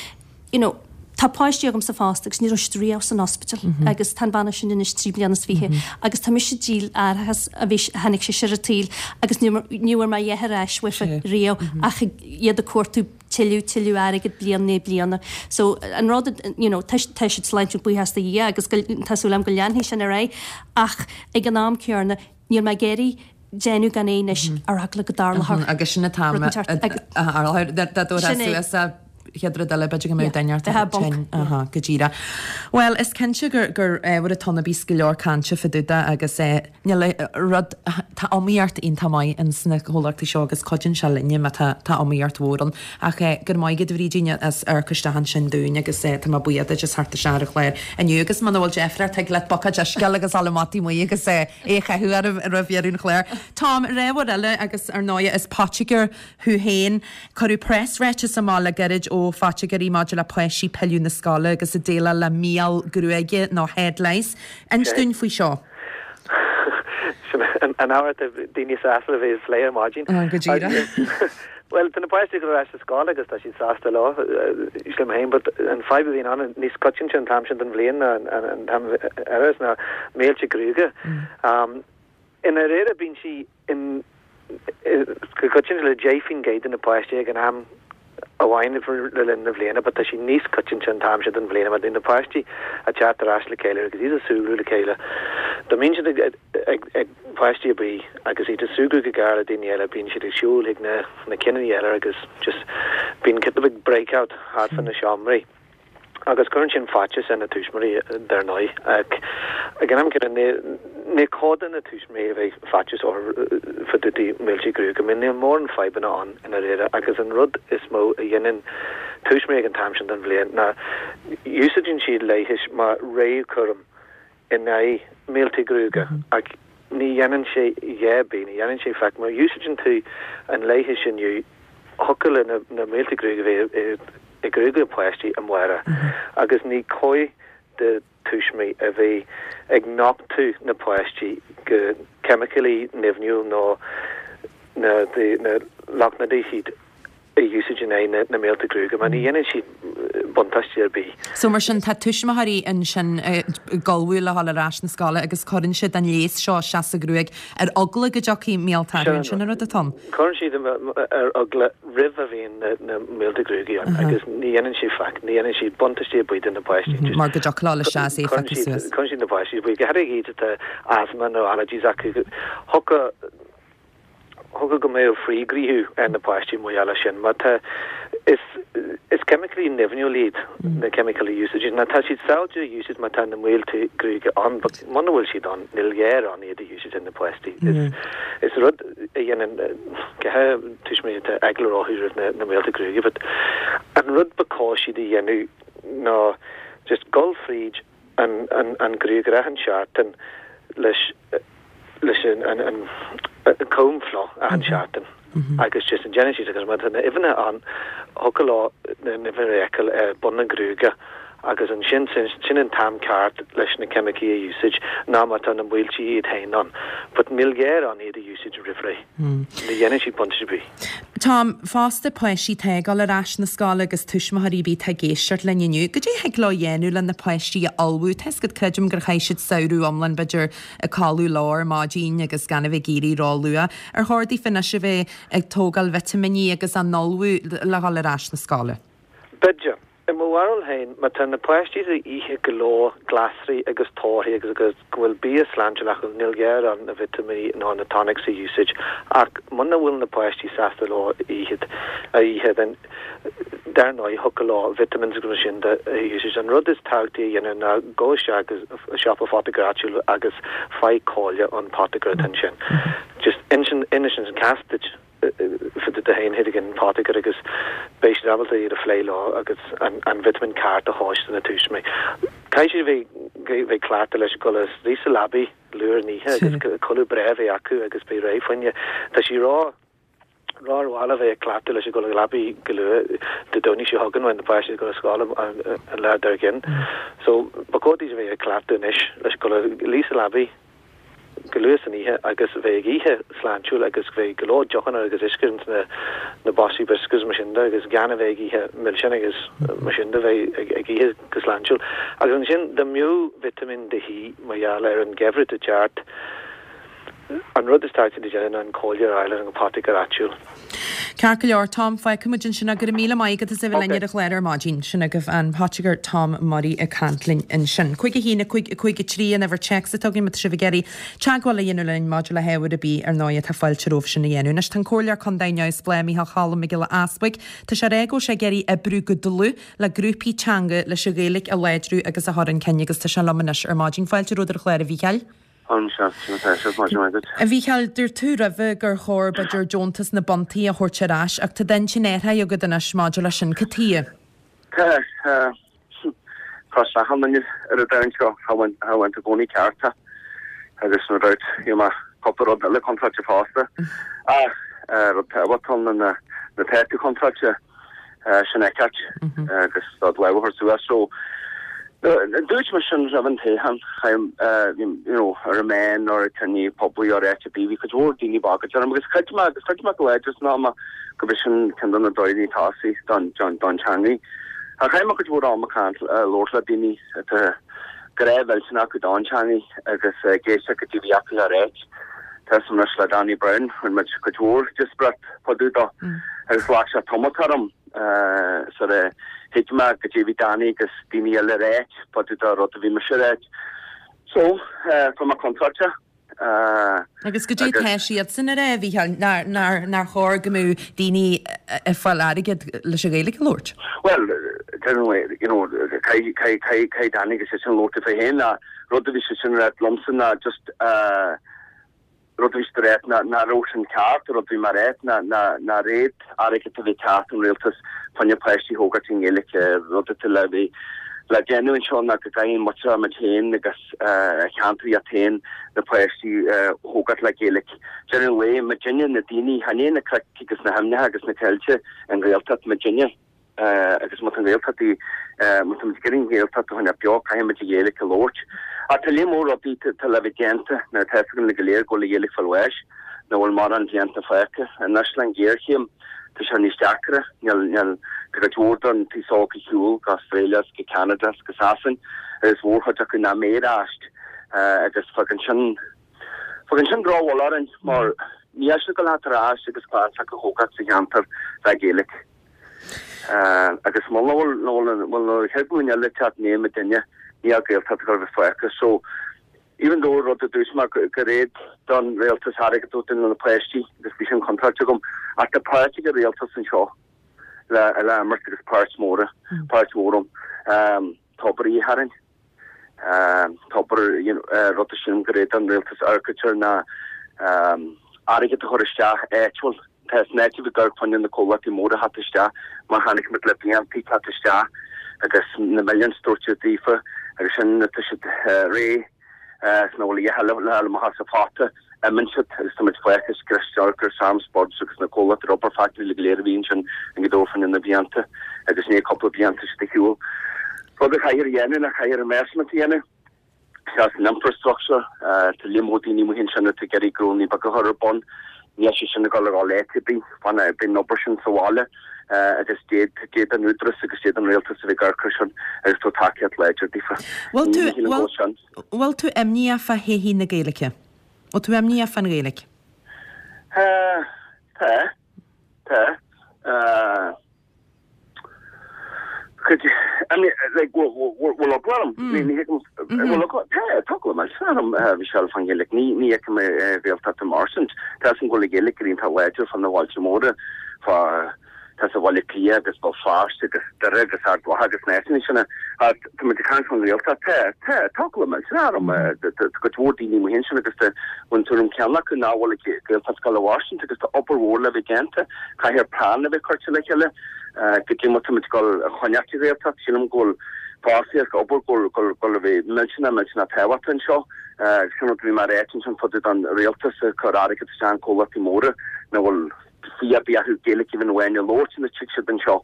you know, tá páistí agamsa fosta agus ní raibh siad riamh san ospidéal agus tá an bhean sin anois trí bliana is fiche agus tá mise ag díol árachas a bhí tháinig sé ar an tsaol agus ní ní bhfuair mé a dhath ar ais uafa riamh ach iad ag cuartú tuilleadh tuilleadh airgead bliain i ndiaidh bliana. So an rud you know tá tá siad sláintiúil buíochas do Dhia agus go tá súil agam go leanfaidh sin ar aghaidh ach ag an am céanna níl mé ag iarraidh déanamh gan é anois ar eagla go dtarlódh Agus sin atá rud inteacht agus a dá dtabharfá Sin é. suas a chéad rud eile b'fhéidir go mbeadh duine ort Bheadh bunk. tinn. Aha, go díreach. Bhuel, is cinnte gur gur ábhar atá ann a bíos go leor cainte fá dtaobh de agus eh, níl eh, rud tá iomaíocht iontach maith ins na comhlachtaí seo agus cuidíonn sé linne má tá tá iomaíocht mhór ann. Ach eh, go raibh maith agat a Bhrídín as amharc isteach ansin dúinn agus eh, tá mé buíoch duit as theacht isteach ar an chlár inniu agus muna bhfuil deifir ort thig leat buicéad uisce agus dul amach taobh amuigh agus eh, é a chaitheamh oraibh roimh dheireadh an chláir. Tom, réamhar eile agus ar ndóigh is poitigéir thú féin cuireadh preasráiteas amach le gairid ó phoitigéirí maidir le páistí pilleadh na scoile agus a déileáil le míol gruaige nó head lice. Inis dúinn faoi seo. Sin an an ábhar atá daoine sásta a bheith ag plé ar maidin. Ah, go díreach. Well, tá na páistí go leis sa scoil agus tá siad sásta leo sílim féin, but an fadhb a bhíonn ann níos coitianta an t-am sin den bhliain ná an an t-am eile ná míolta gruaige. Um, ina réire bíonn sí in go coitianta le deich faoin gcéad de na páistí ag an am amháin le linn na bliana, but tá sí níos coitianta an t-am sin den bhliain, mar na páistí a teacht ar ais le chéile agus iad ag súgradh le chéile. Dá mbíonn siad ag, ag, ag páistí a bí agus iad ag súgradh go gar le daoine eile, bíonn siad ag siúl chuig na, na cinní eile agus just bíonn kind of big breakout thart fá na seomraí. Agus cuireann sin faitíos ar na tuismitheoirí dar ndóigh. Ag ag an am céanna ní ní cóir do na tuismitheoirí a bheith faitíos orthu fá dtaobh de míolta gruaige, mar níl mórán fadhbanna ann ina réire agus an rud is mó a dhéanann tuismitheoirí ag an t-am sin den bhliain ná úsáideann siad leigheas mar réamhchúram in aghaidh míolta gruaige ach ní dhéanann sé a dhath, ní dhéanann sé faic má úsáideann tú an leigheas inniu thiocfadh le na, na míolta gruaige a bheith i gruaig páistí amárach agus ní cóir do tuismitheoirí a bheith ag nochtadh na páistí go ceimiceálaí nimhniúil nó na de, na lotnaidicíd a úsáid in aghaidh na, na míolta gruaige, mar ní dhéanann siad buntáiste ar bith. So mar sin tá tuismitheoirí ansin ag ullmhú le dhul ar ais na scoile agus cuireann siad an leigheas seo isteach sa ghruaig ar eagla go dtiocfaidh míolta Sin sin an rud atá ann. Cuireann siad ar eagla roimh a bhíonn na, na míolta gruaige ann agus ní dhéanann siad faic, ní dhéanann siad buntáiste ar bith do na páistí. Just Mar go dtiocfadh leo isteach é Cuireann feiceadh siad suas. cuireann siad na páistí faoi go háirithe iad atá asthma nó allergies acu thiocfadh thiocfadh go mbeadh frithghníomhú ar na páistí mar gheall air sin, mar tá is is ceimiceálaí nimhniúil iad na ceimiceálaí úsáid ná tá siad sábháilte a úsáid má tá na míolta gruaige ann, but muna bhfuil siad ann níl gá ann iad a úsáid ar na páistí. Is is rud a dhéanann go háirithe tuismitheoirí atá eagla orthu roimh na, na míolta gruaige, but an rud ba chóir siad a dhéanamh ná just gul fríd an an an gruagaire achan seachtain leis leis an an an an comb fliuch achan seachtain agus just an déanann siad agus má tá na uibheanna ann thiocfadh leo na uibheanna a fheiceáil ar bun na gruaige agus ansin sin sin an t-am ceart leis na ceimicí a úsáid ná má tá na míolta iad féin ann, but níl gá ann iad a úsáid roimh ré. Ní dhéanann siad buntáiste ar bith. Tom, fosta páistí atá ag dul ar ais na scoile agus tuismitheoirí bí ag éisteacht linn inniu. Goidé thig leo dhéanamh le na páistí a ullmhú, Tá go creidim gur chaith siad samhradh iomlán b'fhéidir ag codladh lár maidin agus gan a bheith ag éirí róluath. Ar chóir daofa anois a bheith ag tógáil vitimíní agus á n-ullmhú le dhul ar ais na scoile. B'fhéidir. I mo bharúil féin, má tá na páistí ag ithe go leor glasraí agus torthaí agus agus go bhfuil bia sláintiúil acu níl gá ann na vitimíní nó na tonics a úsáid ach muna bhfuil na páistí sásta leo ithe a ithe then dar ndóigh thiocfadh leo vitamins agus sin de a úsáid. An rud is tábhachtaí a dhéanamh ná gabh isteach agus siopa poitigéir áitiúil agus faigh comhairle ón poitigéir ansin. Just inis inis an cás duit fá dtaobh de féin chuig an poitigéir agus beidh siad ábalta iad a phlé leo agus an, an vitamin ceart a thabhairt do na tuismitheoirí. Caithfidh siad bheith bheith cleachta leis go luí sa leabaidh luath in oíche agus codladh breá bheith acu agus beidh réidh faoinne. Tá sí rá Ró-mhall a bheith ag cleachtadh leis ag dul ag leapaidh go luath Dé Domhnaigh seo chugainn when na páistí ag dul ar scoil an lá dár gcionn. So ba chóir daoibh a bheith ag cleachtadh anois leis dul a luí sa leapaidh go luath san oíche agus bheith ag ithe sláintiúil agus bheith go leor deochanna agus uisce ins na na boscaí biscuits mar sin de agus gan a bheith ag ithe milseáin agus mar sin de bheith ag ag ithe go sláintiúil. Agus ansin dá mbeadh vitimín de dhíth mar gheall ar an gheimhreadh atá ag teacht an rud is tábhachtaí le déanamh ná an comhairle a fháil ar an apothecar áitiúil. Ceart go leor, Tom, fágfaidh muid ansin é. Go raibh míle maith agat as a bheith linn ar an chlár ar maidin. Sin agaibh an Potiger Tom Murray ag caint linn ansin. Cúig a haon, a cúig, a cúig a trí an uimhir téacs atá againn má tá sibh ag iarraidh teagmháil a dhéanamh linn maidir le hábhar ar bith ar ndóigh atá fáilte romhaibh sin a dhéanamh. Anois tá an Comhairleoir Contae neamhspleách Micheál Cholm Mac Giolla Easbuig, tá sé ag rá go bhfuil sé ag iarraidh oibriú go dlúth le grúpaí teanga leis an Ghaeilge a láidriú agus a chur chun cinn agus tá sé liom anois ar maidin. Fáilte romhat ar an chlár a Mhícheáil. A Mhícheáil, dúirt tú roimhe gur chóir b'fhéidir deontas na bpuntaí a thabhairt ar ais ach tá d'intinn athraithe agat anois maidir leis sin. Cad chuige? Tá, tá achan duine ar an domhan seo, cha bhfuil i gcónaí ceart agus no doubt you know cúpla rud eile contráilte fosta. Ach rud tábhachtach ann ná na tá tú contráilte sin é ceart agus do lámh a thabhairt suas so Dúirt mé sin roimh an toghchán, you know, ar an meán nó ar cruinniú poiblí ar áit ar bith, bhí cuid mhór daoine ag bagairt orm agus chreid mé agus chreid mé go láidir san am gurb é sin ceann de na dóigheanna tosaigh don don teangaidh. Ach chaith mé cuid mhór ama ag caint, labhairt le daoine atá grá mhillteanach acu don teangaidh agus ag éisteacht goidé a bhí acu le ráit. Tá 'fhios a'm anois le Danny Brown, rinne muid cuid mhór díospóireacht fá dtaobh dó agus ghlac sé tamalt orm. Sar a thuig mé goidé a bhí Danny agus daoine eile a ráit fá dtaobh de rud a bhí mise a ráit. So, fuair mé contráilte. Agus goidé tá siadsan a rá, a Mhícheáil, nár, nár, nár chóir go mbeadh daoine ag fáil airgead leis an Ghaeilge a labhairt? Bhuel, you know, caithfidh, caithfidh, caithfidh, caithfidh Danny agus seisean labhairt fé féin ach rud a bhí seisean a ráit liomsa ná just, Rud a bhí siad a ráit ná nach raibh sin ceart, rud a bhí mé a ráit ná nach raibh airgead a bheith ag teacht ón rialtas fá choinne páistí a thógáilt i nGaeilge. Rud atá le bheith le déanamh anseo ná go gcaithfidh muid muid féin agus a cheantar iad féin na páistí a thógáilt le Gaeilge. Deireadh an lae, muidinne na daoine, chan é na cnoic agus na hainmneacha agus na coillte an Ghaeltacht, muidinne. Agus má tá an Ghaeltacht í, má tá muid ag iarraidh an Ghaeltacht a choinneáil beo, caithfidh muid an Ghaeilge a labhairt. Ach tá léar mór rudaí atá le bheith déanta, nuair atá fhios againn go léir go bhfuil an Ghaeilge ag fáil bháis, nach bhfuil mórán blianta fágtha. Anois le an ghéarchéim, tá sé níos deacra. Níl, níl, tá cuid mhór den t-aos óg ar shiúl go Australia is go Canada is go Sasain agus mhórchuid acu nach mbeidh ar ais agus fágann sin, Fágann sin drochbhail orainn mar ní fhéadfaidh siad dul ar ais agus clann s'acu a thógáil sa cheantar le Gaeilge. Agus muna bhfuil, muna bhfuil an chéad ghlúin eile ag teacht i ndiaidh muidinne, níl Gaeltacht ag dul a bheith fágtha. So, even though rud a dúirt mé gur éad don rialtas airgead a thabhairt do na páistí agus bhí sin contráilte agam, ach tá páirt ag an rialtas anseo le le imirt agus páirt mhór, páirt mhór ann. Tograí a tharraingt. Tobar, rud a sílim gur éad don rialtas amharc air ná airgead a chur isteach áitiúil. Tá san áit a bhí ag amharc fá choinne na comhlachtaí móra a theacht isteach mar chonaic muid le blianta teacht isteach agus na milliúin doirte daofa agus sin tá siad réidh is nach bhfuil a dhath eile le fáil amach as an phota. Imíonn siad agus tá muid fágtha scriosta gur Sam Spurds agus na comhlachtaí rubber factory go léir a bhí ansin i nGaoth Dobhair fá choinne na blianta agus i ndiaidh cúpla bliain tá siad ar shiúl. Rud a chaithfear a dhéanamh ná caithfear investment a dhéanamh isteach san infrastructure. Tá líon mór daoine amuigh ansin atá ag iarraidh gnónnaí beaga a chur ar bun. Níl sé sin ag dul a dhul áit ar bith. Beidh an obair sin sa bhaile agus d'fhéadfadh an Údarás agus d'fhéadfadh an Rialtas a bheith ag amharc air sin agus tabhairt tacaíocht láidir daofa. Bhfuil tú, bhfuil tú imníoch fá thodhchaí na Gaeilge? Bhfuil tú imníoch fán Ghaeilge? Tá. Tá. Cuid, I mean, like, bhfuil eagla orm? Ní ní thuigim, bhfuil eagla, tá, tá eagla millteanach orm, Michelle, fán Ghaeilge. Ní, ní fheicim an Ghaeltacht ag mairstint. Tá 'fhios a'm go bhfuil an Ghaeilge go iontach láidir fá na bhailte móra, fá, tá sa Bhaile Átha Cliath agus Béal Feirste agus Doire agus Ard Mhacha agus na háiteanna sin. Ach tá muid ag caint fán Ghaeltacht, tá, tá, tá eagla millteanach orm. Tá cuid mhór daoine amuigh ansin agus tá an tuairim chéanna acu nach bhfuil an Ghaeltacht ag dul a mhairstint agus tá obair mhór le bheith déanta. Caithfear plean a bheith curtha le chéile. Goidé mar tá muid ag dul a choinneáilt an Ghaeltacht. Sílim go bhfuil fostaíocht, obair go bhfuil a bheith millteanach, millteanach tábhachtach anseo. Sin rud a bhí mé a ráit ansin fá dtaobh don rialtas ag cur airgead isteach in comhlachtaí móra nach bhfuil fiú ar bith acu Gaeilge amháin a labhairt nuair a tig siad anseo.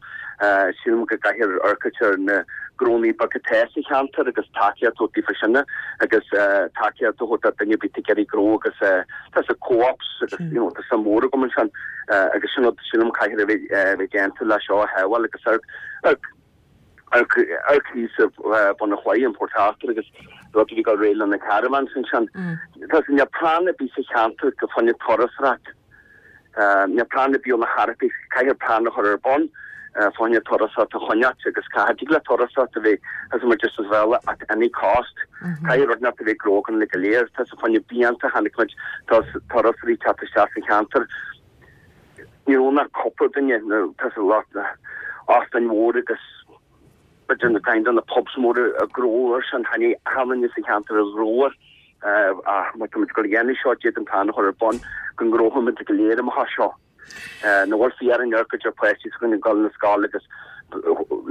Sílim go gcaithfear amharc ar na gnónnaí beaga atá sa cheantar agus tacaíocht a thabhairt daofa sin agus tacaíocht a thabhairt do duine ar bith atá ag iarraidh gnó agus tá sa co-ops agus you know tá suim mhór agam ansin agus sin rud sílim caithfear a bheith a bheith déanta le seo a shábháil agus ar ar ar ar cíos Bun an Chlaí in Port Arthur agus rud a bhí ag dul réidh le na caravans ansin. Tá sé níl plean ar bith sa cheantar go fá choinne turasóireacht. Níl plean ar bith ó na haireachtaí, caithfear plean a chur ar bun fá choinne turasóireacht a choinneáilt agus caithfidh tig le turasóireacht a bheith as muid just as well at any cost. Caithfidh rud inteacht a bheith gnó againn le go léir. Tá sé fá choinne blianta chonaic muid turasóirí teacht isteach sa cheantar. Ní raibh ach cúpla duine nó tá sé lot óstáin mhór agus b'fhéidir na kind of na pubs móra ag gnóthú air sin chan aon duine sa cheantar ag gnóthú air. Ach má tá muid ag dul a dhéanamh seo d'fhéadfainn plean a chur ar bun go ngnóthóidh muid go léir amach as seo. Nach bhfuil fiú orainn amharc ar pháistí s'againn ag dul na scoile agus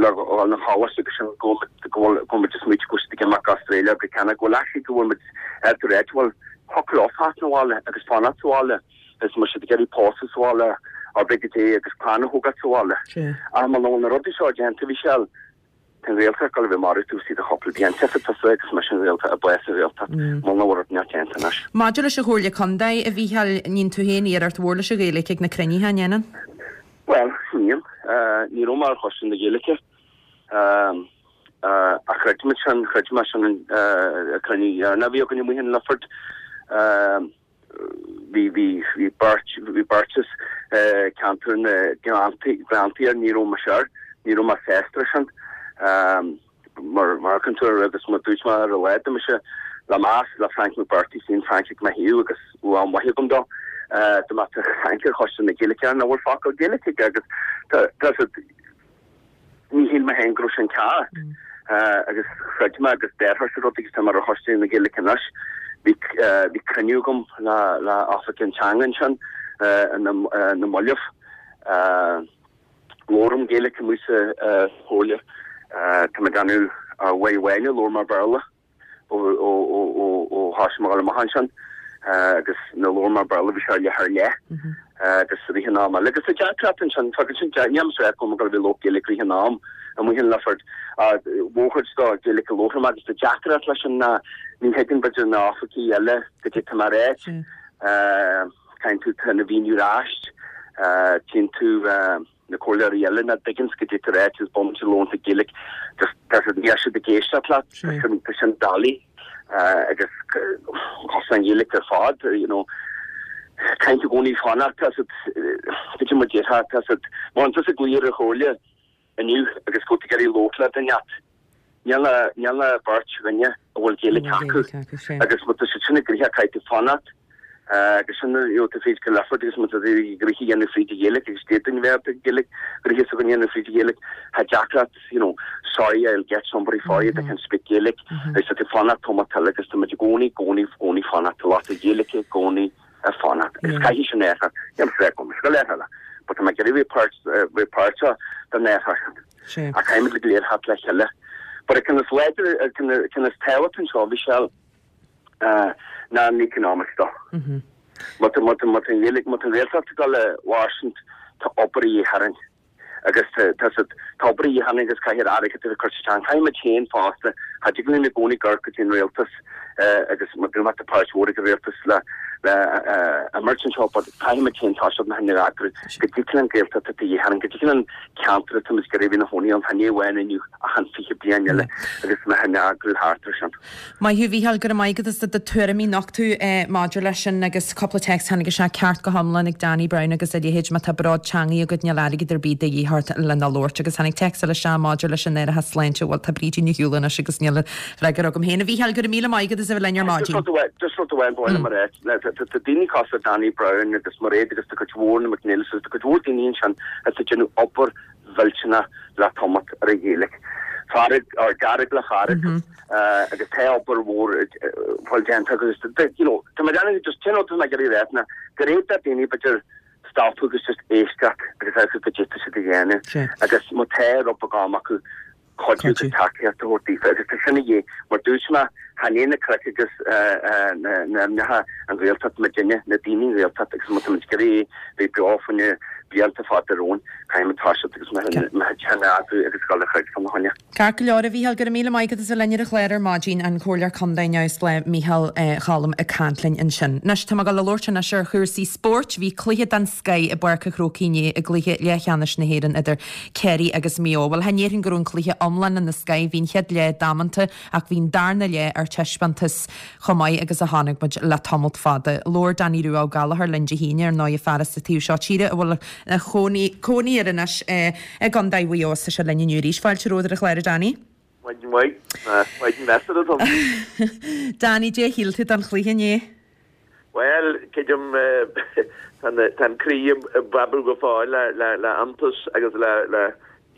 le dhul na choláiste agus sin go bhfuil go bhfuil muid ag smaoitiú go bhfuil siad ag imeacht go Australia go Ceanada go bhfuil actually go bhfuil muid ar do réit bhfuil thiocfadh leo fanacht sa bhaile agus fanacht sa bhaile is má tá siad ag iarraidh pósadh sa bhaile or big day agus clann a thógáil sa bhaile. Ach muna bhfuil na rudaí seo déanta Mhichelle tá an Ghaeltacht ag dul a bheith marbh taobh istigh de chúpla bliain. Tiocfaidh tusa agus mise an Ghaeltacht a bheas sa Ghaeltacht muna bhfuil rud inteacht déanta anois. Maidir leis an Chomhairle Contae, a Mhícheáil, níonn tú féin iarracht mhór leis an Ghaeilge ag na cruinnithe, an ndéanann? Bhuel, níl. Ní raibh mé ar Choiste na Gaeilge. Ach chreid mé sin, chreid mé sin an cruinniú dheireanach a bhí againn amuigh in Lifford. Bhí, bhí, bhí beirt, bhí beirt as ceantar na Gleanntaí, Gleanntaí air, ní raibh mise air, ní raibh mé sásta leis sin. Mar, mar cainteoir agus mar dúirt mé ar a laghad, tá mise le meas le Frank McBrearty, suíonn Frank ag mo thaobh agus bhfuil an mhaith agam dó. Dá mbeadh Frank ar Choiste na Gaeilge air, nach bhfuil focal Gaeilge aige agus tá, tá siad, ní shíl mé féin go raibh sin ceart. Agus chreid mé agus déarfadh rud agus tá mé ar Choiste na Gaeilge anois. Bhí, bhí cruinniú agam le, le Oifig an Teanga ansin, na, na mallaibh. Labhraím Gaeilge amuigh sa chomhairle. Tá mé ag déanamh uair amháin a labhair mé Béarla ó ó ó ó ó thoisigh mé a dhul amach ansin agus nuair a labhair mé Béarla bhí sé ar leath ar leith agus rith an am eile. Agus tá deacracht ansin, fágann sin níl mise ag rá go bhfuil labhairt Gaeilge rith an am amuigh in Lifford. Mórchuid de Gaeilge a labhraím agus tá deacracht leis sin ná ní thuigeann b'fhéidir na oifigí eile goidé tá mé a ráit. Caithfidh tú tá na mhíniú ar ais, tchíonn tú na comhairleoirí eile nach dtuigeann goidé tá ráite is bomaite labhrann tú Gaeilge just tá siad níl siad ag éisteacht leat tá sin tá sin doiligh agus cosnaíonn an Ghaeilge ar fad you know caithfidh tú i gcónaí fanacht tá siad goidé mar déarfá tá siad má tá tusa ag glaoch ar an chomhairle inniu agus go bhfuil tú ag iarraidh labhairt le duine ort níl níl ach beirt dhuine a bhfuil Gaeilge acu agus má tá siad sin ag gnoitheach caithfidh tú fanacht agus sin you know tú fríd go Lifford agus má tá tú ag gnoitheach a dhéanamh fríd an Ghaeilge agus d'fhéadfainn a bheith ag Gaeilge gnoitheach s'againn a dhéanamh fríd an Ghaeilge tá deacracht you know sorry I'll get somebody for you that can speak Gaelic agus tá tú fanacht tamall eile agus tá muid i gcónaí gcónaí gcónaí fanacht tá lucht na Gaeilge i gcónaí ag fanacht agus caithfidh sin athrú níl mé ag rá go léir eile but tá mé ag iarraidh bheith páirt bheith páirteach den athrú sin ach caithfidh muid go léir theacht le chéile but an ceann is láidre an ceann is tábhachtaí anseo Michelle ná an economic stuff. Má tá má tá má tá an Ghaeilge má tá an Ghaeltacht ag dul a mhairstint tá obair a dhíth orainn agus tá tá siad tá obair a dhíth orainn agus caithfidh airgead a bheith curtha isteach. Caithfidh muid féin fosta cha dtig linn i gcónaí amharc go dtí an rialtas agus má tá tá páirt mhór ag an rialtas le le imirt anseo but caithfidh muid féin toiseacht na hinne a eagrú go dtig linn Gaeltacht atá de dhíth orainn go dtig linn ceantar atá muid ag iarraidh a bheith ina chónaí ann chan é amháin inniu ach an fiche bliain eile agus na hinne a eagrú thart air sin. Maith thú a Mhícheáil, go raibh maith agat as do tuairimí nochtadh maidir leis sin agus cúpla téacs tháinig isteach ceart go hiomlán ag Danny Brown agus a leithéid má tá bród teangaidh agat níl airgead ar bith de dhíth ort lena labhairt agus tháinig téacs eile isteach maidir leis an árachas sláinte bhuel tá Brídín ar shiúl anois agus níl freagra agam féin. A Mhícheáil, go raibh míle maith agat as a bheith linn ar maidin. Just rud amháin ba mhaith liom a rá, tá daoine cosúil le Danny Brown agus Mairéad agus tá cuid mhór na McNeils agus tá cuid mhór daoine ansin atá ag déanamh obair mhillteanach le tamall ar an Ghaeilge. Fearg or dearg le fearg agus tá obair mhór fáil déanta agus you know tá mé déanamh just sin rud atá mé ag iarraidh a rá ná gur fhéadfadh daoine b'fhéidir stopadh agus just éisteacht agus amharc goidé tá siad a dhéanamh agus má tá rud beag am acu cuidiú agus tacaíocht a thabhairt daofa agus tá sin a dhíth mar dúirt mé Chan é na cnoic agus na hainmneacha an Ghaeltacht muidinne, na daoine an Ghaeltacht agus má táimid ag iarraidh bheith beo fá choinne blianta fada romhainn, caithfimid toiseacht agus muid féin a eagrú agus dul a throid fána choinne. Ceart go leor, a Mhícheáil, go raibh míle maith agat as a bheith linn ar an chlár ar maidin, an Comhairleoir Contae Neamhspleách Mícheál Choilm ag caint linn ansin. Anois, tá mé ag dul a labhairt anois ar chúrsaí spóirt. Bhí cluiche den scoith i bPáirc an Chrócaigh inné i gcluiche leathcheannais na hÉireann idir Ciarraí agus Maigh Eo. Bhuel, chan déarfainn go raibh an cluiche iomlán ina scoith, bhí an chéad leath damanta ach bhí an darna leath ar taispeántas chomh maith agus a chonaic muid le tamalt fada. Labhair Danny Rua Ó Gallchóir linn Dé hAoine, ar ndóigh, fear as an taobh seo tíre a bhfuil cónaí cónaí air anois i gContae Mhaigh Eo is tá sé linn inniu arís. Fáilte romhat ar an chlár, a Danny. Maidin mhaith. Maidin mheasartha dom. Danny, dé shíl tú den chluiche inné? Bhuel, creidim, tá an croí ag breabadh go fóill le iontas agus le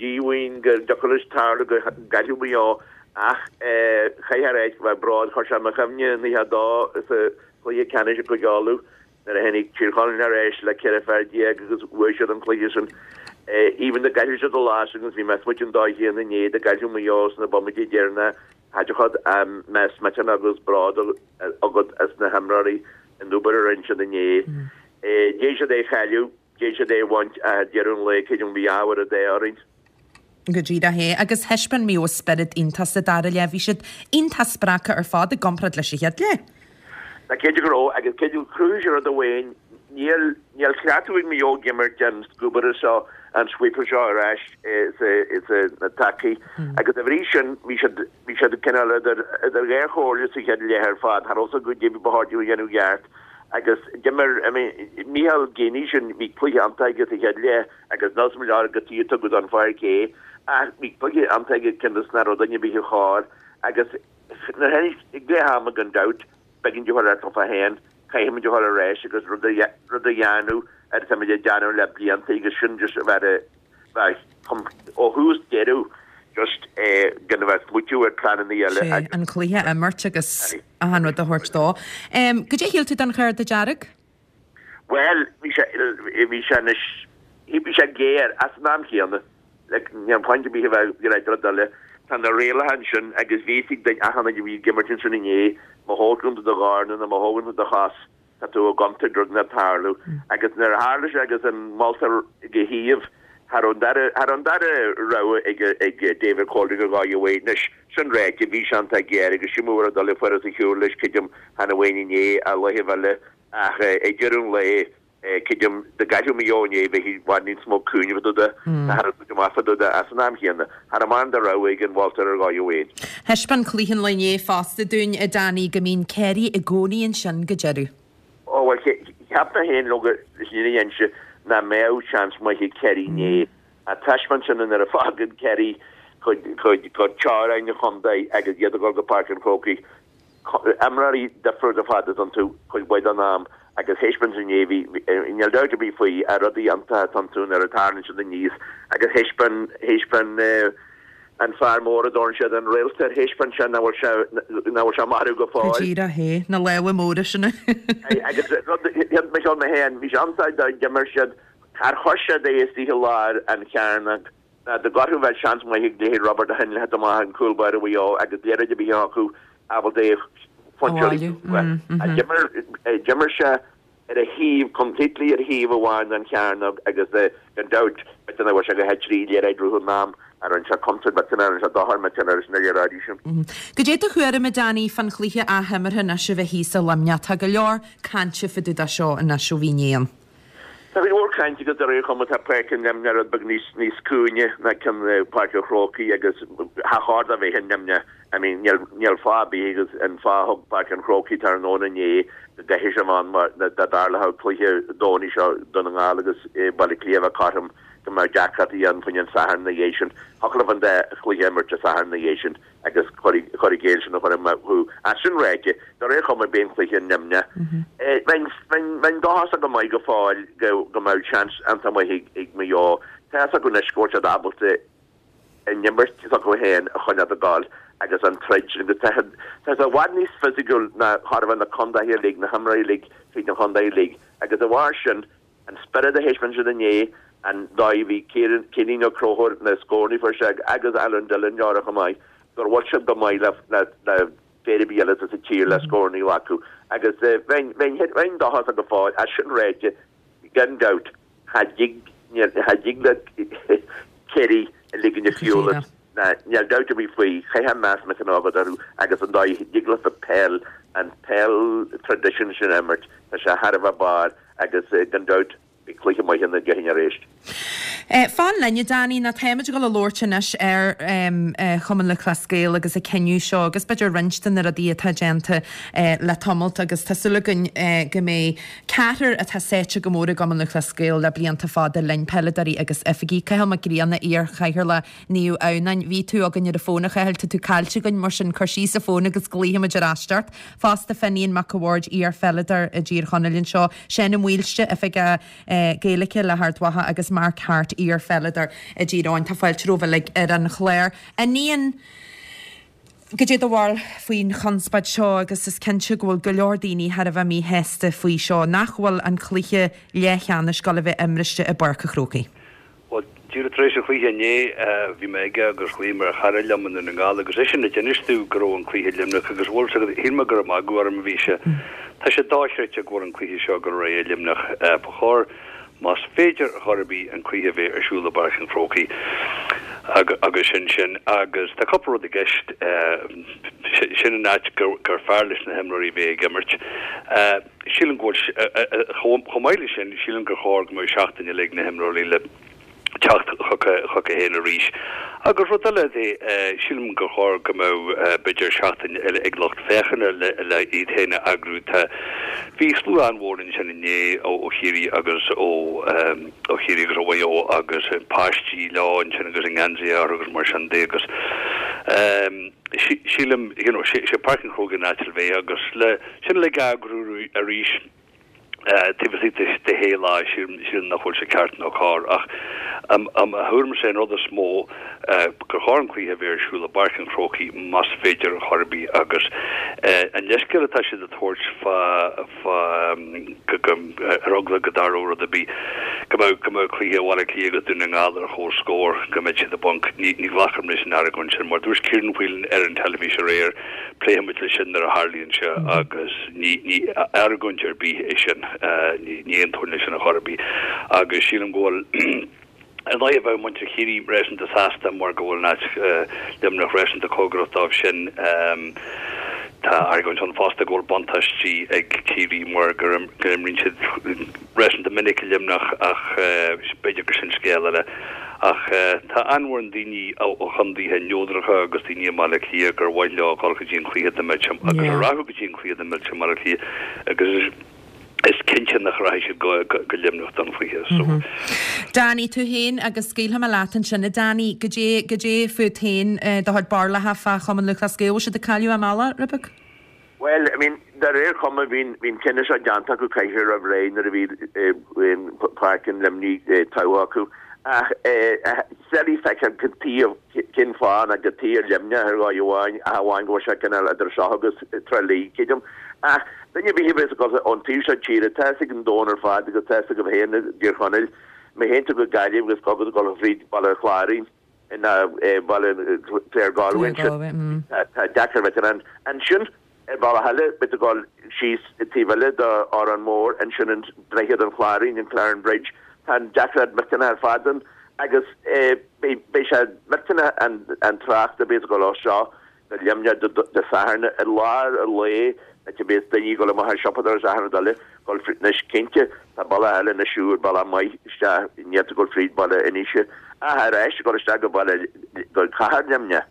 díomhaoin go dtiocfadh leis tarlú go gcaillfeadh Maigh Eo ach chaithfear a ráit go bhfuil bród, chuir sé i mo chuimhne naocha a dó sa chluiche ceannais i gCúige Uladh nuair a tháinig Tír Chonaill ar ais le ceithre fear déag agus bhuaigh siad an cluiche sin. Even dá gcaillfeadh siad an lá sin agus bhí mé ag smaoitiú an dóigh chéanna inné dá gcaillfeadh Maigh Eo sna bomaití deireanacha cha dtiocfadh mbeadh millteanach agus bród agat as na himreoirí an obair a rinne siad inné. D'fhéadfadh siad é a chailleadh, d'fhéadfadh siad é a bhaint ach ag deireadh an lae creidim bhí ábhar an ádh orainn. Go díreach é. Agus thaispeáin Maigh Eo spiorad iontach sa dara leath. Bhí siad iontach spreagtha ar fad i gcomparáid leis an chéad leath. Tá cinnte go raibh, agus creidim chruthaigh sé rud amháin, níl níl cleachtadh ag Maigh Eo ag imirt an scuabaire seo, an sweeper seo ar ais sa na tacaí agus dá bhrí sin bhí siad bhí siad cineál idir idir dhá chomhairle sa chéad leath ar fad, cha raibh a fhios acu goidé ba chóir dóibh a dhéanamh i gceart agus d'imir I mean Micheál Geaney sin bhí cluiche iontach aige sa chéad leath agus níl 's agam leor cad chuige a tugadh don pháirc é ach bhí cluiche iontach aige cionn is nach raibh duine ar bith a chóir agus nuair a tháinig ag leath ama gan dabht b'éigean dóibh a dhul leofa féin, caithfimid a dhul ar ais agus rud a rud a dhéanamh ar atáimid ag déanamh le blianta agus sin just a bheith a bheith ó thús deireadh just gan a bheith ag smaoitiú ar pleananna eile Sé, agus. an cluiche a imirt agus achan rud a thabhairt dó. Goidé a shíl tú den chárta dearg? Bhuel, bhí sé, bhí sé anois, bhí sé géar ach san am chéanna, like, níl point ar bith a bheith ag ráit rud eile. Tá na rialacha ansin agus bhí fhios ag duine, achan duine a bhí ag imirt ansin inné, má thógann tú do dhorn nó má thógann tú do chos, tá tú i gcontúirt rud inteacht tarlú. Agus nuair a tharla sé agus an moltóir ag a thaobh, cha raibh an dara, cha raibh an dara rogha ag, ag David Coldrick a dhul uaidh. Anois, sin ráite, bhí sé iontach géar agus sin mar a dul ag fuair os a shiúl leis, creidim, chan amháin inné, ach laethibh eile. Ach ag deireadh an lae, creidim, dá gcaillfeadh Maigh Eo inné, bheadh i bhfad níos mó cúineamh fá dtaobh de, cha raibh cuid amach fá dtaobh de ach san am chéanna, cha raibh mórán de rogha ag an mholtóir ar dhóigh amháin. Thaispeáin cluiche an lae inné fosta dúinn, a Danny, go mbíonn Ciarraí i gcónaí ansin go deireadh. Ó, bhuel, cheap mé féin, leoga, leis an fhírinne a inse, nach mbeadh seans maith ag Ciarraí inné. Ach taispeáin sin nuair a fágann Ciarraí cuid, cuid, cuid teorainn an chontae agus iad ag dul go Páirc an Chrócaigh, Imreoirí difriúil ar fad atá iontu cuid mhaith den am agus thaispeáin inné, bhí, níl dabht ar bith faoi, ach rudaí iontacha atá iontu nuair a tarlaíonn siad aníos agus thaispeáin, thaispeáin an fear mór a dtabharann siad an réalt air, thaispeáin sé nach bhfuil sé, nach bhfuil sé marbh go Go fóill. díreach é, na lámha móra sin. Agus rud, mé mé féin, bhí sé iontach dá d'imir siad, char chuir siad é istigh i lár an chearnóg, Ná dá gcuirfeadh bheadh seans maith ag leithéid Robert Heinle theacht amach an cúl báire Mhaigh Eo agus liathróid ar bith acu ábalta é a phuncháil uaidh. D'imir sé ar a thaobh, completely ar thaobh amháin den chearnóg agus gan dabht b'fhéidir nach bhfuil sé go trí liathróid rith an am a rinne sé contúirt, b'fhéidir a rinne sé dochar, b'fhéidir leis na liathróidí sin. Goidé do thuairim, a Danny, fán chluiche athimeartha anois a bheith thíos i Luimneach? Tá go leor cainte fá dtaobh de seo anois ó bhí inné ann. Tá cuid mhór cainte agus de réir chuma tá Páirc an Luimneach rud beag níos níos cúinge ná ceann Páirc an Chrócaigh agus cha chóir dó bheith in Luimneach. I mean níl níl fáth ar bith agus an fáth a thug Páirc an Chrócaigh tráthnóna inné go gcaithfidh sé bheith ann mar dá dtarlódh cluiche Domhnaigh seo Dún na nGall agus Baile Átha Cliath a bheith cothrom go mbeadh deacrachtaí ann faoin an Satharn ina dhiaidh sin. Thiocfadh leo an dá chluiche a imirt Dé Sathairn ina dhiaidh sin. agus cur i gcéill sin a chur amú. Ach sin ráite, de réir chuma beidh an cluiche i Luimneach. Bheinn dóchasach go maith go fóill go mbeadh seans iontach maith ag Maigh Eo. Tá fhios acu anois go bhfuil siad ábalta an imirt s'acu féin a choinneáil ag gabháil agus an troid sin agus tá siad i bhfad níos fisiciúil ná chóir a bheith na contaetha uilig, na himreoirí uilig tríd na contaetha uilig agus de bharr sin An spiorad a thaispeáin siad inné, an dóigh a bhí Ciairín Ó Conchúir, na scóranna a fuair sé agus Alan Dillon dearfach chomh maith, gur bhfuil siad go maith le fear ar bith eile sa tír le scóranna a ghlacadh agus bheinn bheinn dóchasach go fóill as sin ráite gan dabht cha dtig cha dtig le Ciarraí a ligean ar shiúl ná níl dabht ar bith faoi chaithfeá meas millteanach a agat orthu agus an dóigh a dtig leofa peil an peil tradition sin a imirt tá sé thar a bheith barr agus gan dabht Beidh cluiche maith ann Dé hAoine arís. Fan linn, a Danny, nó táimid ag dul a labhairt anois ar Chumann Lúthchleas Gael agus an cinneadh seo agus b'fhéidir roinnt de na rudaí atá déanta le tamalt agus tá súil againn go mbeidh ceathrar atá sáite go mór i gCumann Lúthchleas Gael le blianta fada linn, peileadóirí agus oifigigh. Cathal Mac Grianna, iar-chathaoirleach Naomh Adhamhnáin. Bhí tú againn ar an bhfón, a Chathail, tá tú caillte againn, mar sin cuir síos an fón agus glaofaimid ar ais ort. Fosta, Finian Mac a' Bhaird, iar-pheileadóir i dTír Chonaill anseo, Seán Ó Maoilste, Oifigeach Gaeilge le hArd Mhacha agus Mark Harte, iar-pheileadóir i dTír Eoghain. Tá fáilte romhaibh uilig ar an chlár. A Fhinian, goidé do bharúil faoin chonspóid seo agus is cinnte go bhfuil go leor daoine thar a bheith míshásta faoi seo, nach bhfuil an cluiche leathcheannais ag dul a bheith imriste i bPáirc a' Chrócaigh. Bhuel, díreach tar éis an chluiche inné, bhí mé aige agus ghlaoigh mé ar chara liom i nDún na nGall agus eisean a d'inis domh go raibh an cluiche i Luimneach agus bhuel, shíl mé gur ag magadh orm a bhí sé. Tá sé dochreidte go bhfuil an cluiche seo ag dul ar aghaidh i Luimneach. Ba chóir, más féidir chor ar bith, an cluiche a bheith ar siúl i bPáirc an Chrócaigh agus sin sin. Agus tá cúpla rud i gceist. Sin an áit gur fearr leis na himreoirí bheith ag imirt. Sílim go bhfuil, chomh maith leis sin, sílim gur chóir go mbeadh seachtain eile ag na himreoirí le teacht chucu féin arís. Agus rud eile de, sílim gur chóir go mbeadh b'fhéidir seachtain eile ag lucht féachana le le iad féin a eagrú. Tá, bhí slua an-mhór ansin inné ó Chiarraí agus ó ó Chiarraí agus ó Mhaigh Eo agus páistí leo ansin agus a ngeansaithe orthu agus mar sin de agus sílim, you know, sé Páirc an Chrócaigh an áit le bheith agus le sin uilig a eagrú arís taobh istigh de shé lá, sílim nach bhfuil sé ceart nó cóir. Ach i mo thuairimse an rud is mó gur chóir an cluiche a bheith ar siúl i bPáirc an Chrócaigh más féidir chor ar bith agus an leithscéal atá siad a tabhairt fá fá go ar eagla go dtarlódh rud ar bith go mbeadh go mbeadh cluiche Bhaile Átha Cliath agus Dún na nGall ar chomhscór go mbeadh siad i bponc. Ní ní ghlacfaidh mé leis an argóint sin mar dúirt Ciarán Whelan ar an teilifís aréir pléifimid leis sin nuair a tharlaíonn sé agus ní ní argóint ar bith é sin ní ní aontóinn leis sin ar chor ar bith agus sílim go bhfuil Ar ndóigh, bheadh muintir Chiarraí réasúnta sásta mar go bhfuil an áit, Luimneach, réasúnta cóngarach dóibh sin. Tá argóint ann fosta go bhfuil buntáistí ag Ciarraí mar go n-imríonn siad réasúnta minic i Luimneach ach b'fhéidir gur sin scéal eile. Ach tá an-mhórán daoine ó chontaetha neodracha agus daoine i mBaile Átha Cliath gur mhaith leo dul go dtí an cluiche dá mbeadh sé agus a rachadh go dtí an cluiche dá mbeadh sé i mBaile Átha Cliath agus is cinnte nach rachaidh siad go go Luimneach don chluiche so. Danny, tú féin agus scaoilfidh mé leat ansin a Danny, goidé, goidé fút féin do chuid barúlacha fá Chumann Lúthchleas Gael, bhfuil siad ag cailleadh a mbealach, rud beag? Bhuel, I mean, de réir cuma bhí bhí an cinneadh seo déanta acu coicís roimh ré nuair a bhí Páirc an Luimnigh togha acu. Ach is doiligh feiceáil cad taobh, cén fáth ná cad taobh ar Luimneach ar dhóigh amháin, ach amháin go bhfuil sé cineál idir seo agus Trá Lí, creidim. Ach duine ar bith a bheas ag dul ón taobh seo tíre, tá fhios ag an domhan ar fad agus tá fhios agaibh féin i dTír Chonaill, má théann tú go Gaillimh agus caithfidh tú dul fríd Baile Chláirín, ná baile Claregalway ansin, tá deacair bheith in ann. Ansin, ar bhealach eile, beidh tú ag dul síos taobh eile d'Órán Mór, ansin an Droichead an Chláirín, an Clarin Bridge, tá an deacracht millteanach ar fad ann agus beidh sé millteanach an trácht a bheas ag dul ó seo go Luimneach Dé Sathairn i lár an lae áit a bheas daoine ag dul amach ag siopadóireacht is achan rud eile dul fríd anois cinnte tá bealach eile anois úr bealach maith isteach níl tú ag dul fríd baile Inse ach ar ais ag dul isteach go baile go cathair Luimneach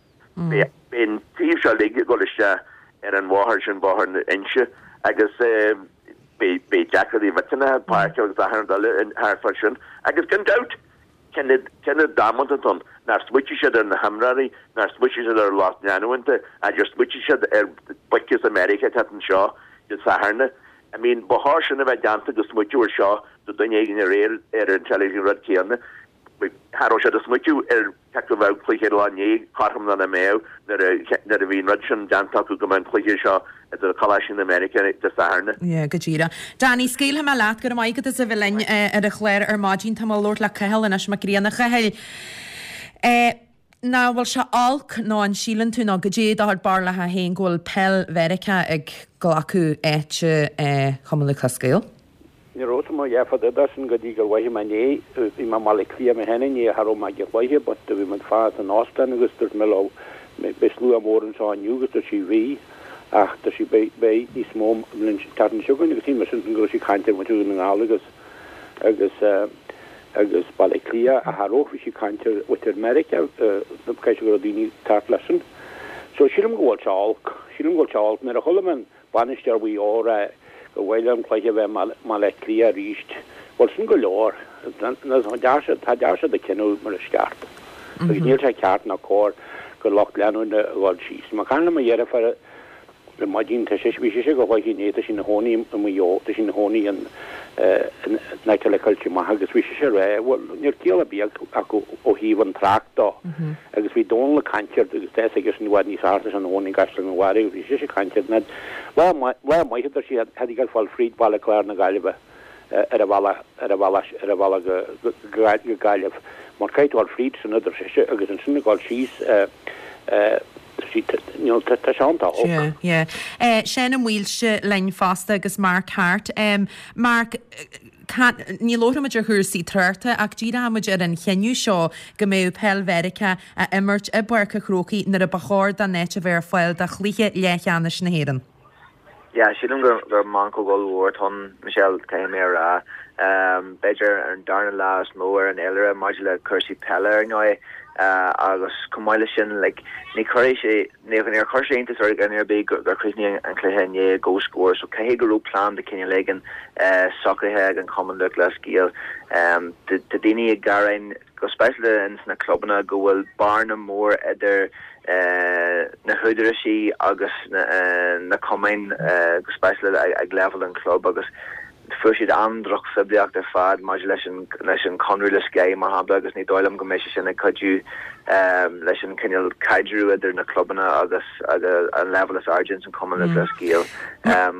beidh beidh an taobh seo uilig ag dul isteach ar an bhóthar sin bóthar na Inse agus beidh beidh deacrachtaí millteanacha páirceáil agus achan rud eile thart fá sin agus gan dabht Cinneadh damanta atá ann, nár smaoitigh siad ar na himreoirí, nár smaoitigh siad ar lucht leanúna, ach smaoitigh siad ar boic as America atá anseo Dé Sathairn. I mean, ba chóir sin a bheith déanta go smaoitiú ar seo do duine éigin aréir ar an teilifís an rud céanna. Cha raibh siad ag smaoitiú ar cé acu bheadh cluiche ar lá inné cothrom nó nach mbeadh nuair a bhí an rud sin déanta acu go mbeadh an cluiche seo idir coláistí na Meiriceá Dé Sathairn. Yeah, go díreach. Danny, scaoilfidh mé leat, go raibh maith agat as a bheith linn ar an chlár ar maidin. Tá mé ag labhairt le Cathal anois Mac Grianna. Chathail, eh, Nach bhfuil sé olc nó an síleann tú nó goidé do chuid barúlacha féin go bhfuil peil Mheiriceá ag glacadh áite Chumann Lúthchleas Gael? Ní raibh mé dhearfa de sin go dtí gur mhothaigh mé inné, bhí mé i mBaile Átha Cliath mé féin inné, cha raibh mé ag an chluiche but bhí muid fad san óstán agus dúirt mé leo beidh slua mór anseo inniu agus dúirt sí bhí ach dúirt sí beidh beidh níos mó an tseachtain seo chugainn agus shíl mise ansin go raibh sí ag caint ar mhuintir Dhún na nGall agus agus agus Baile Átha Cliath ach cha raibh, bhí sí ag caint ar mhuintir Meiriceá, caithfidh sé go raibh daoine ag teacht leis sin. So sílim go bhfuil sé olc, sílim go bhfuil sé olc. Nuair a chuala mé an bainisteoir Mhaigh Eo ag rá gur mhaith leo an cluiche a bheith i mBaile Átha Cliath arís, bhuel sin go leor. Tá dear siad ag cinneadh mar is ceart. Agus níl sé ceart ná cóir go lucht leanúna a dhul síos. Mé ag caint le mo dheirfiúr Ar maidin, tá sé, bhí sise ag an chluiche inné, tá sí ina chónaí i Maigh Eo, tá sí ina chónaí in, in aice le Coillte Macha agus bhí sise ag rá, bhuel, níl ciall ar bith acu ó thaobh an trácht dó. Agus bhí Dónal ag caint air agus tá fhios aigesean i bhfad níos fearr, tá sé ina chónaí i gCaisleán an Bharraigh agus bhí sise ag caint air, ná lá maith, lá maith a deir sí, tha tú ag fáil fríd Bhaile Chláir na Gaillimhe ar an bhealach, ar an bhealach, ar an bhealach go, go, go Gaillimh mar caithfidh tú fháil fríd sin a deir sise agus ansin ag dul síos, Tá sé iontach olc. Yeah, yeah. Seán Ó Maoilse linn fosta agus Mark Harte. Mark, ní labhróidh muid ar chúrsaí tráchta ach díreoidh muid ar an chinneadh seo go mbeadh peil Mheiriceá á imirt i bPáirc a' Chrócaigh nuair a ba chóir don áit a bheith ar fáil do chluiche leathcheannais na hÉireann. Yeah, sílim gur gur meancóg ollmhór atá ann, Michelle, caithfidh mé a rá. B'fhéidir an darna lá is mó ar an fhéilire maidir le cúrsaí peile ar ndóigh agus chomh maith leis sin, like, ní chuirfidh sé, níor chuir sé iontas ar dhuine ar bith gur chríochnaigh an cluiche inné i gcomhscór so caithfidh go raibh plean de chineál éigin socraithe ag an Chumann Lúthchleas Gael. Tá daoine ag gearán go speisialta ins na clubanna go bhfuil bearna mór idir na húdaráisí agus na cumainn, go speisialta ag leibhéal an chlub agus fuair siad an-drochphoiblíocht ar fad maidir leis an leis an conradh le Sky mar shampla agus ní dóigh liom go mbeidh sé sin ag cuidiú leis an cineál caidreamh idir na clubanna agus agus an leibhéal is airde ins an Chumann Lúthchleas Gael.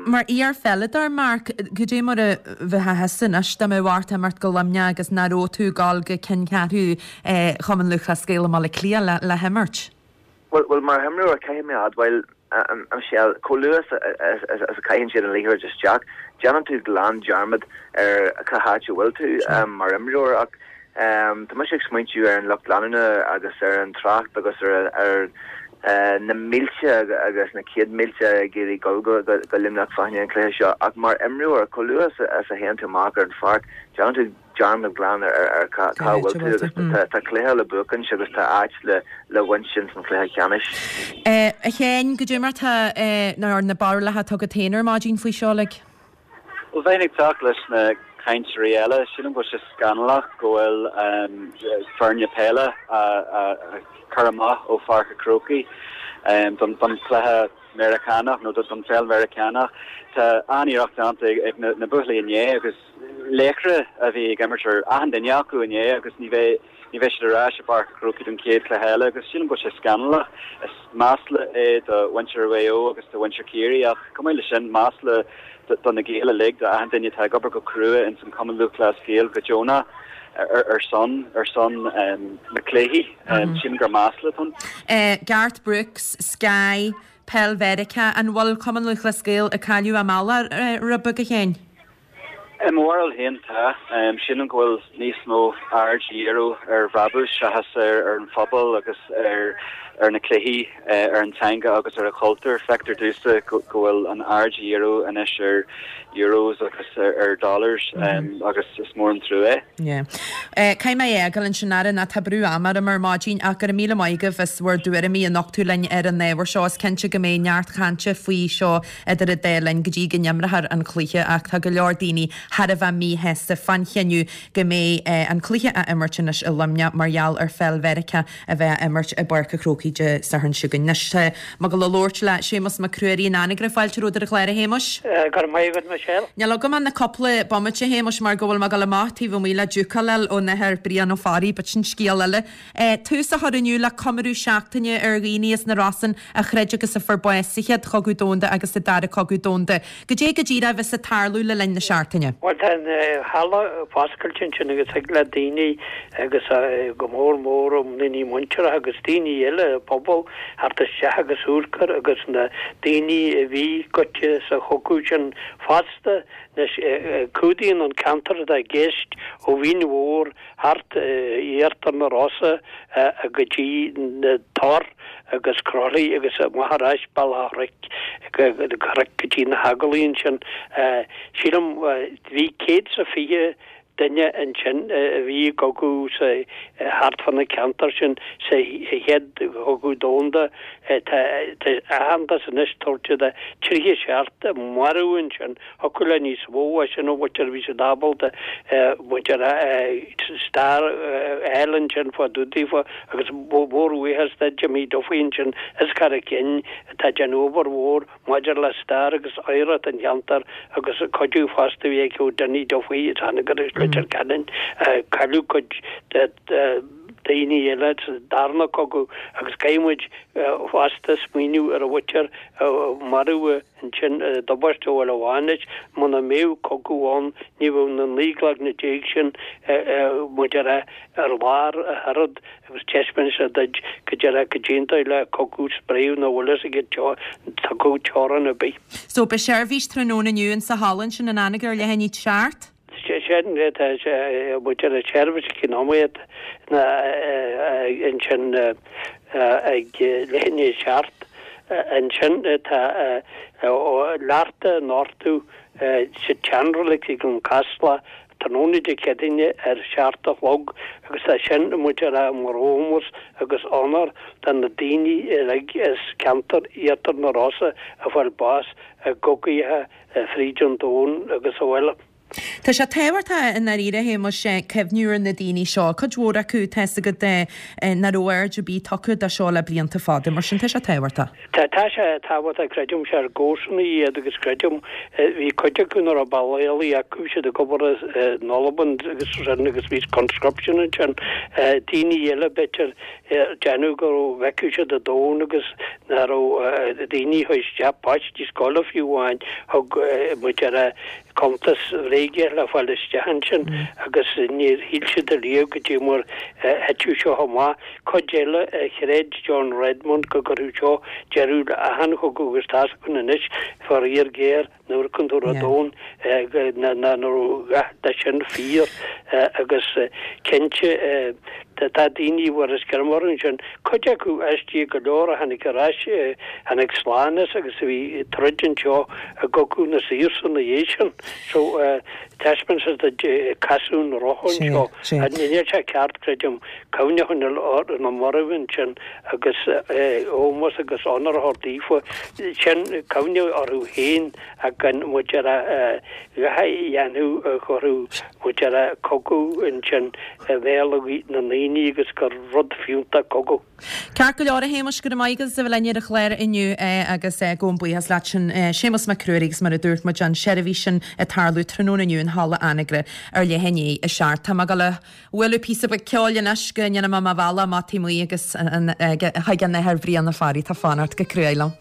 Mar iar-pheileadóir, Mark, cad é mar a bheifeá thusa anois dá mbeadh ort imeacht go Luimneach agus nach raibh tú ag dul go ceanncheathrú Chumann Lúthchleas Gael i mBaile Átha Cliath le himirt? Bhuel, mar imreoir, caithfidh mé a admháil, a Michelle, chomh luath is a chaitheann siad an liathróid isteach, déanann tú glan dearmad ar cá háit a bhfuil tú mar imreoir. Ach tá mise ag smaointiú ar an lucht leanúna agus ar an trácht agus ar na mílte agus na céad mílte ag iarraidh dul go Luimneach fá choinne an chluiche seo. Ach mar imreoir, chomh luath is a théann tú amach ar an pháirc, déanann tú dearmad glan ar cá bhfuil tú agus tá cluiche le buachaint agus tá áit le baint ins an chluiche ceannais. A Sheáin, goidé mar tá na barúlacha atá agat féin ar maidin faoi seo uilig? Bhuel, bheinn ag teacht leis na cainteoirí eile. Sílim go bhfuil sé scannalach go bhfuil foirne peile á cur amach ó Pháirc an Chrócaigh don chluiche Meiriceánach nó don pheil Mheiriceánach. Tá an-iarracht déanta ag na buachaillí inné agus laochra a bhí ag imirt ar achan duine acu inné agus ní bheidh ní bheidh siad ar ais i bPáirc an Chrócaigh don chéad chluiche eile agus sílim go bhfuil sé scannalach. Is masla é do mhuintir Mhaigh Eo agus do mhuintir Chiarraí ach chomh maith leis sin masla do na Gaeil uilig, do achan duine atá ag obair go crua ins an Cumann Lúthchleas Gael go deonach ar son ar son na cluichí. Sílim gur masla atá ann. Garth Brooks, Sky, Peil Mheiriceá, an bhfuil Cumann Lúthchleas Gael ag cailleadh a mbealach rud beag a Sheáin? I mo bharúil féin tá. Sílim go bhfuil níos mó aird á dhíriú ar bhrabús seachas ar an phobal agus ar na cluichí, ar an teanga agus ar an chultúr. Feictear domhsa go bhfuil an aird á dhíriú anois ar euros agus ar dollars agus is mór an trua é. Yeah. Caithfidh mé é a fhágáil ansin Aaron, tá brú ama orm ar maidin ach go raibh míle maith agaibh as bhur dtuairimí a nochtadh linn ar an ábhar seo. Is cinnte go mbeidh neart cainte faoi seo idir an dá linn go dtí go n-imreofar an cluiche ach tá go leor daoine thar a bheith míshásta fán chinneadh go mbeidh an cluiche á imirt anois i Luimneach mar gheall ar pheil Mheiriceá a bheith á imirt i bPáirc a' Chrócaigh Dé Sathairn seo chugainn. Anois tá mé ag dul a labhairt le Séamus Mac Ruairí in Anagaire. Fáilte romhat ar an chlár a Shéamuis. Go raibh maith agat Michelle. Níl agam ach na cúpla bomaite a Shéamuis mar go bhfuil mé ag dul amach taobh amuigh le diúcáil a fháil ón Athair Brian Ó Fearraigh but sin scéal eile. Tús á chur inniu le comóradh seachtaine ar dhaoine as na Rosann a throid agus a fuair bás sa Chéad Chogadh Domhanda agus sa Dara Cogadh Domhanda. Goidé go díreach a bheas ag tarlú le linn na seachtaine? Bhuel tá an halla foscailte ansin agus thig le daoine agus go mór mór daoine muinteartha agus daoine eile pobal theacht isteach agus amharc air agus na daoine a bhí goite sa chogadh sin fosta. Anois cumhdaíonn an ceantar atá i gceist ó Mhín Mhór thart iarthar na Rosa go dtí na Tor agus Croithlí agus amach ar ais Bealach a' Chnoic go dtí na hEaglaí ansin. Sílim bhí céad is a fiche duine ansin a bhí i gcogadh sa thart fá na ceantair sin sa chéad chogadh domhanda. Tá aitheantas anois tabhairt do tríocha seacht a maraíodh ansin. Thiocfadh le níos mó as sin a bhfuil bhí siad ábalta muintir stair a fháil ansin fá dtaobh daofa agus mórbhuíochas do Jimmy Duffy ansin as Carraig Fhinn atá ag déanamh obair mhór maidir le stair agus oidhreacht an cheantair agus cuidiú fosta a bhí aici ó Dinny Duffy as Anagaire agus Leitir Ceanainn. Cailleadh cuid de daoine eile sa darna cogadh agus caithfidh muid fosta smaoineamh ar an mhuintir a maraíodh ansin i dtubaiste ó Bhaile Bhánais. Muna mbeadh cogadh ann ní bheadh na naoi gcloigne déag sin muid ar ar lár ach oiread agus taispeánann sé duit go deireadh go dtéann le cogadh spréadh nach bhfuil fhios aige tugadh teorainn ar bith. So beidh seirbhís tráthnóna inniu in sa halla ansin in Anagaire ar leath i ndiaidh a seacht? Sin tá muid ar an tseirbhís ag nóiméad na ansin ag leath i ndiaidh a seacht ansin tá leacht á nochtadh sa tseanreilig ag an Casla tráthnóna Dé Céadaoine ar seacht a chlog agus tá sin muid ar mar ómós agus onóir do na daoine uilig as ceantar Iarthar na Rosa a fuair bás i gcogaithe fríd an domhan agus abhaile. Tá sé tábhachtach i ndáiríre a Shéamais cuimhniú ar na daoine seo, cuid mhór acu tá 'fhios agat nach raibh aird ar bith tugtha dó seo le blianta fada, mar sin tá sé tábhachtach. Tá tá sé tábhachtach creidimse ár gcomharsana iad agus creidim bhí cuid acu nach raibh bealach eile acu, bhí siad ag obair in Albain agus sin agus bhí conscription ansin. Daoine eile b'fhéidir déanamh go bhfeicfeadh siad an domhan agus nach raibh daoine a chuaigh isteach páistí scoile fiú amháin thug muid ar cuntas bhréige le fáil isteach ansin agus níor shíl siad ariamh go dtí mar thiteadh seo amach. Cuid eile a chreid John Redmond go gcuirfeadh seo deireadh le achan chogadh agus tá's againn anois faraor géar nuair a amharcann tú ar an domhan nach raibh a dhath de sin fíor agus cinnte tá daoine a bhfuair scirm orthu ansin, cuid acu aisteach go leor a tháinig ar ais, tháinig slán as agus a bhí ag troid anseo i gCogadh na Saoirse ina dhiaidh sin. So taispeánann sé duit casadh an rotha anseo. Níl sé ceart, creidim, cuimhne a choinneáil ar na mairbh ansin agus ómós agus onóir a thabhairt daofa. Sin cuimhne orthu féin ach gan muid ar a dhath a dhéanamh a chuirfeadh muid ar a cogadh ansin i mbéal na ndaoine agus gur rud fiúntach cogadh. Ceart go leor a Shéamais, go raibh maith agat as a bheith linn ar an chlár inniu agus gabhaim buíochas leat sin Séamus Mac Ruairí agus mar a dúirt muid an seirbhís sin ag tarlú tráthnóna inniu in Halla Anagaire ar leath i ndiaidh a seacht. Tá mé ag dul a bhualadh píosa beag ceoil anois go ndéanfaidh mé mo bhealach amach taobh amuigh agus chuig an Athair Brian Ó Fearraigh atá ag fanacht go cruaidh liom.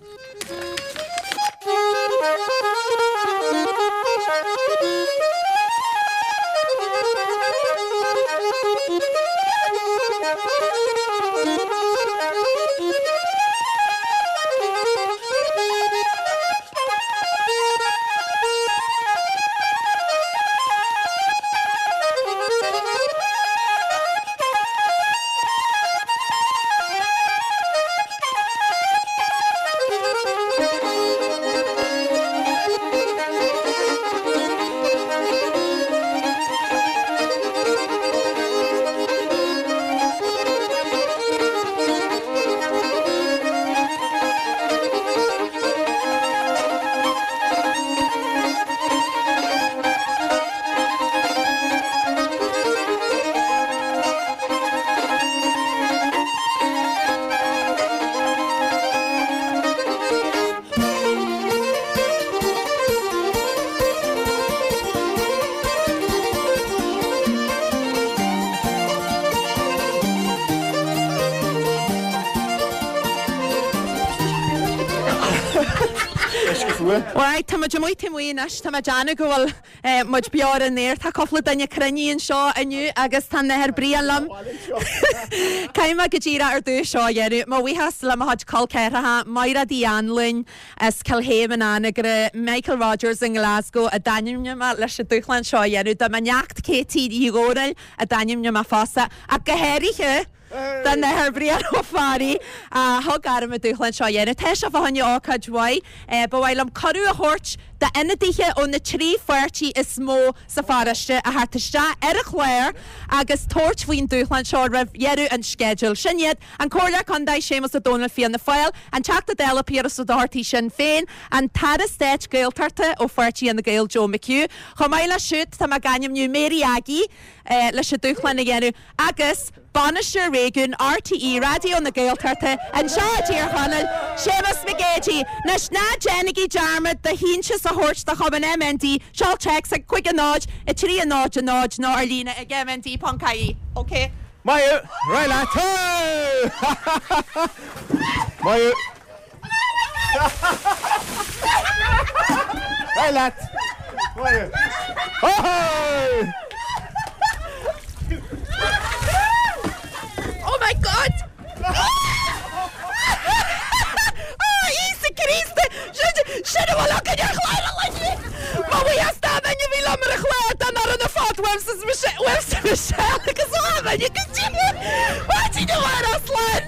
Uisce fuar. Right, tá muid amuigh taobh amuigh anois, tá mé ag déanamh go bhfuil muid beo ar an aer. Tá cúpla duine cruinnithe anseo inniu agus tá an tAthair Brian liom. Caithfidh mé go díreach ar dtús seo a dhéanamh. Mo bhuíochas le mo chuid col ceathracha, Mairéad Uí Anluain as Cill Chéim in Anagaire, Michael Rogers i nGlasgow a d'ainmnigh mé leis an dúshlán seo a dhéanamh, do mo neacht Katie Uí Dhomhnaill a d'ainmnigh mé fosta, ach go háirithe, Don Athair Brian Ó Fearraigh a thug orm an dúshlán seo a dhéanamh. Tá sé fá choinne ócáid mhaith. Ba mhaith liom cuireadh a thabhairt d'ionadaithe ó na trí pháirtí is mó sa pharóiste a theacht isteach ar an chlár agus tabhairt faoin dúshlán seo roimh dheireadh an sceidil. Sin iad, an Comhairleoir Contae Séamus Ó Domhnaill Fianna Fáil, an Teachta Dála Piaras Ó Dochartaigh Sinn Féin, an tAire Stáit Gaeltachta ó pháirtí Fhine Gael Joe McHugh. Chomh maith leis siúd tá mé ag ainmniú Mary Aggie leis an dúshlán a dhéanamh agus Bainisteoir Réigiúin RTÉ Raidió na Gaeltachta anseo i dTír Chonaill, Séamus Mac Géidigh. Anois, ná déanaigí dearmad do shíntiús a thabhairt do Chumann MND, seol téacs ag cúig a náid, a trí a náid a náid nó ar líne ag mnd ponc ie. OK. Maith thú! Ar aghaidh leat! Maith thú! Ar aghaidh leat! Maith thú! Oh my God! Oh Íosa Críost! Sin a bhfuil againn ar chlár an lae inniu! Mo bhuíochas don duine a bhí liom ar an chlár, don fhoireann ar fad, uaimse uaimse Michelle agus ó a dhuine go dtí maidin amárach slán!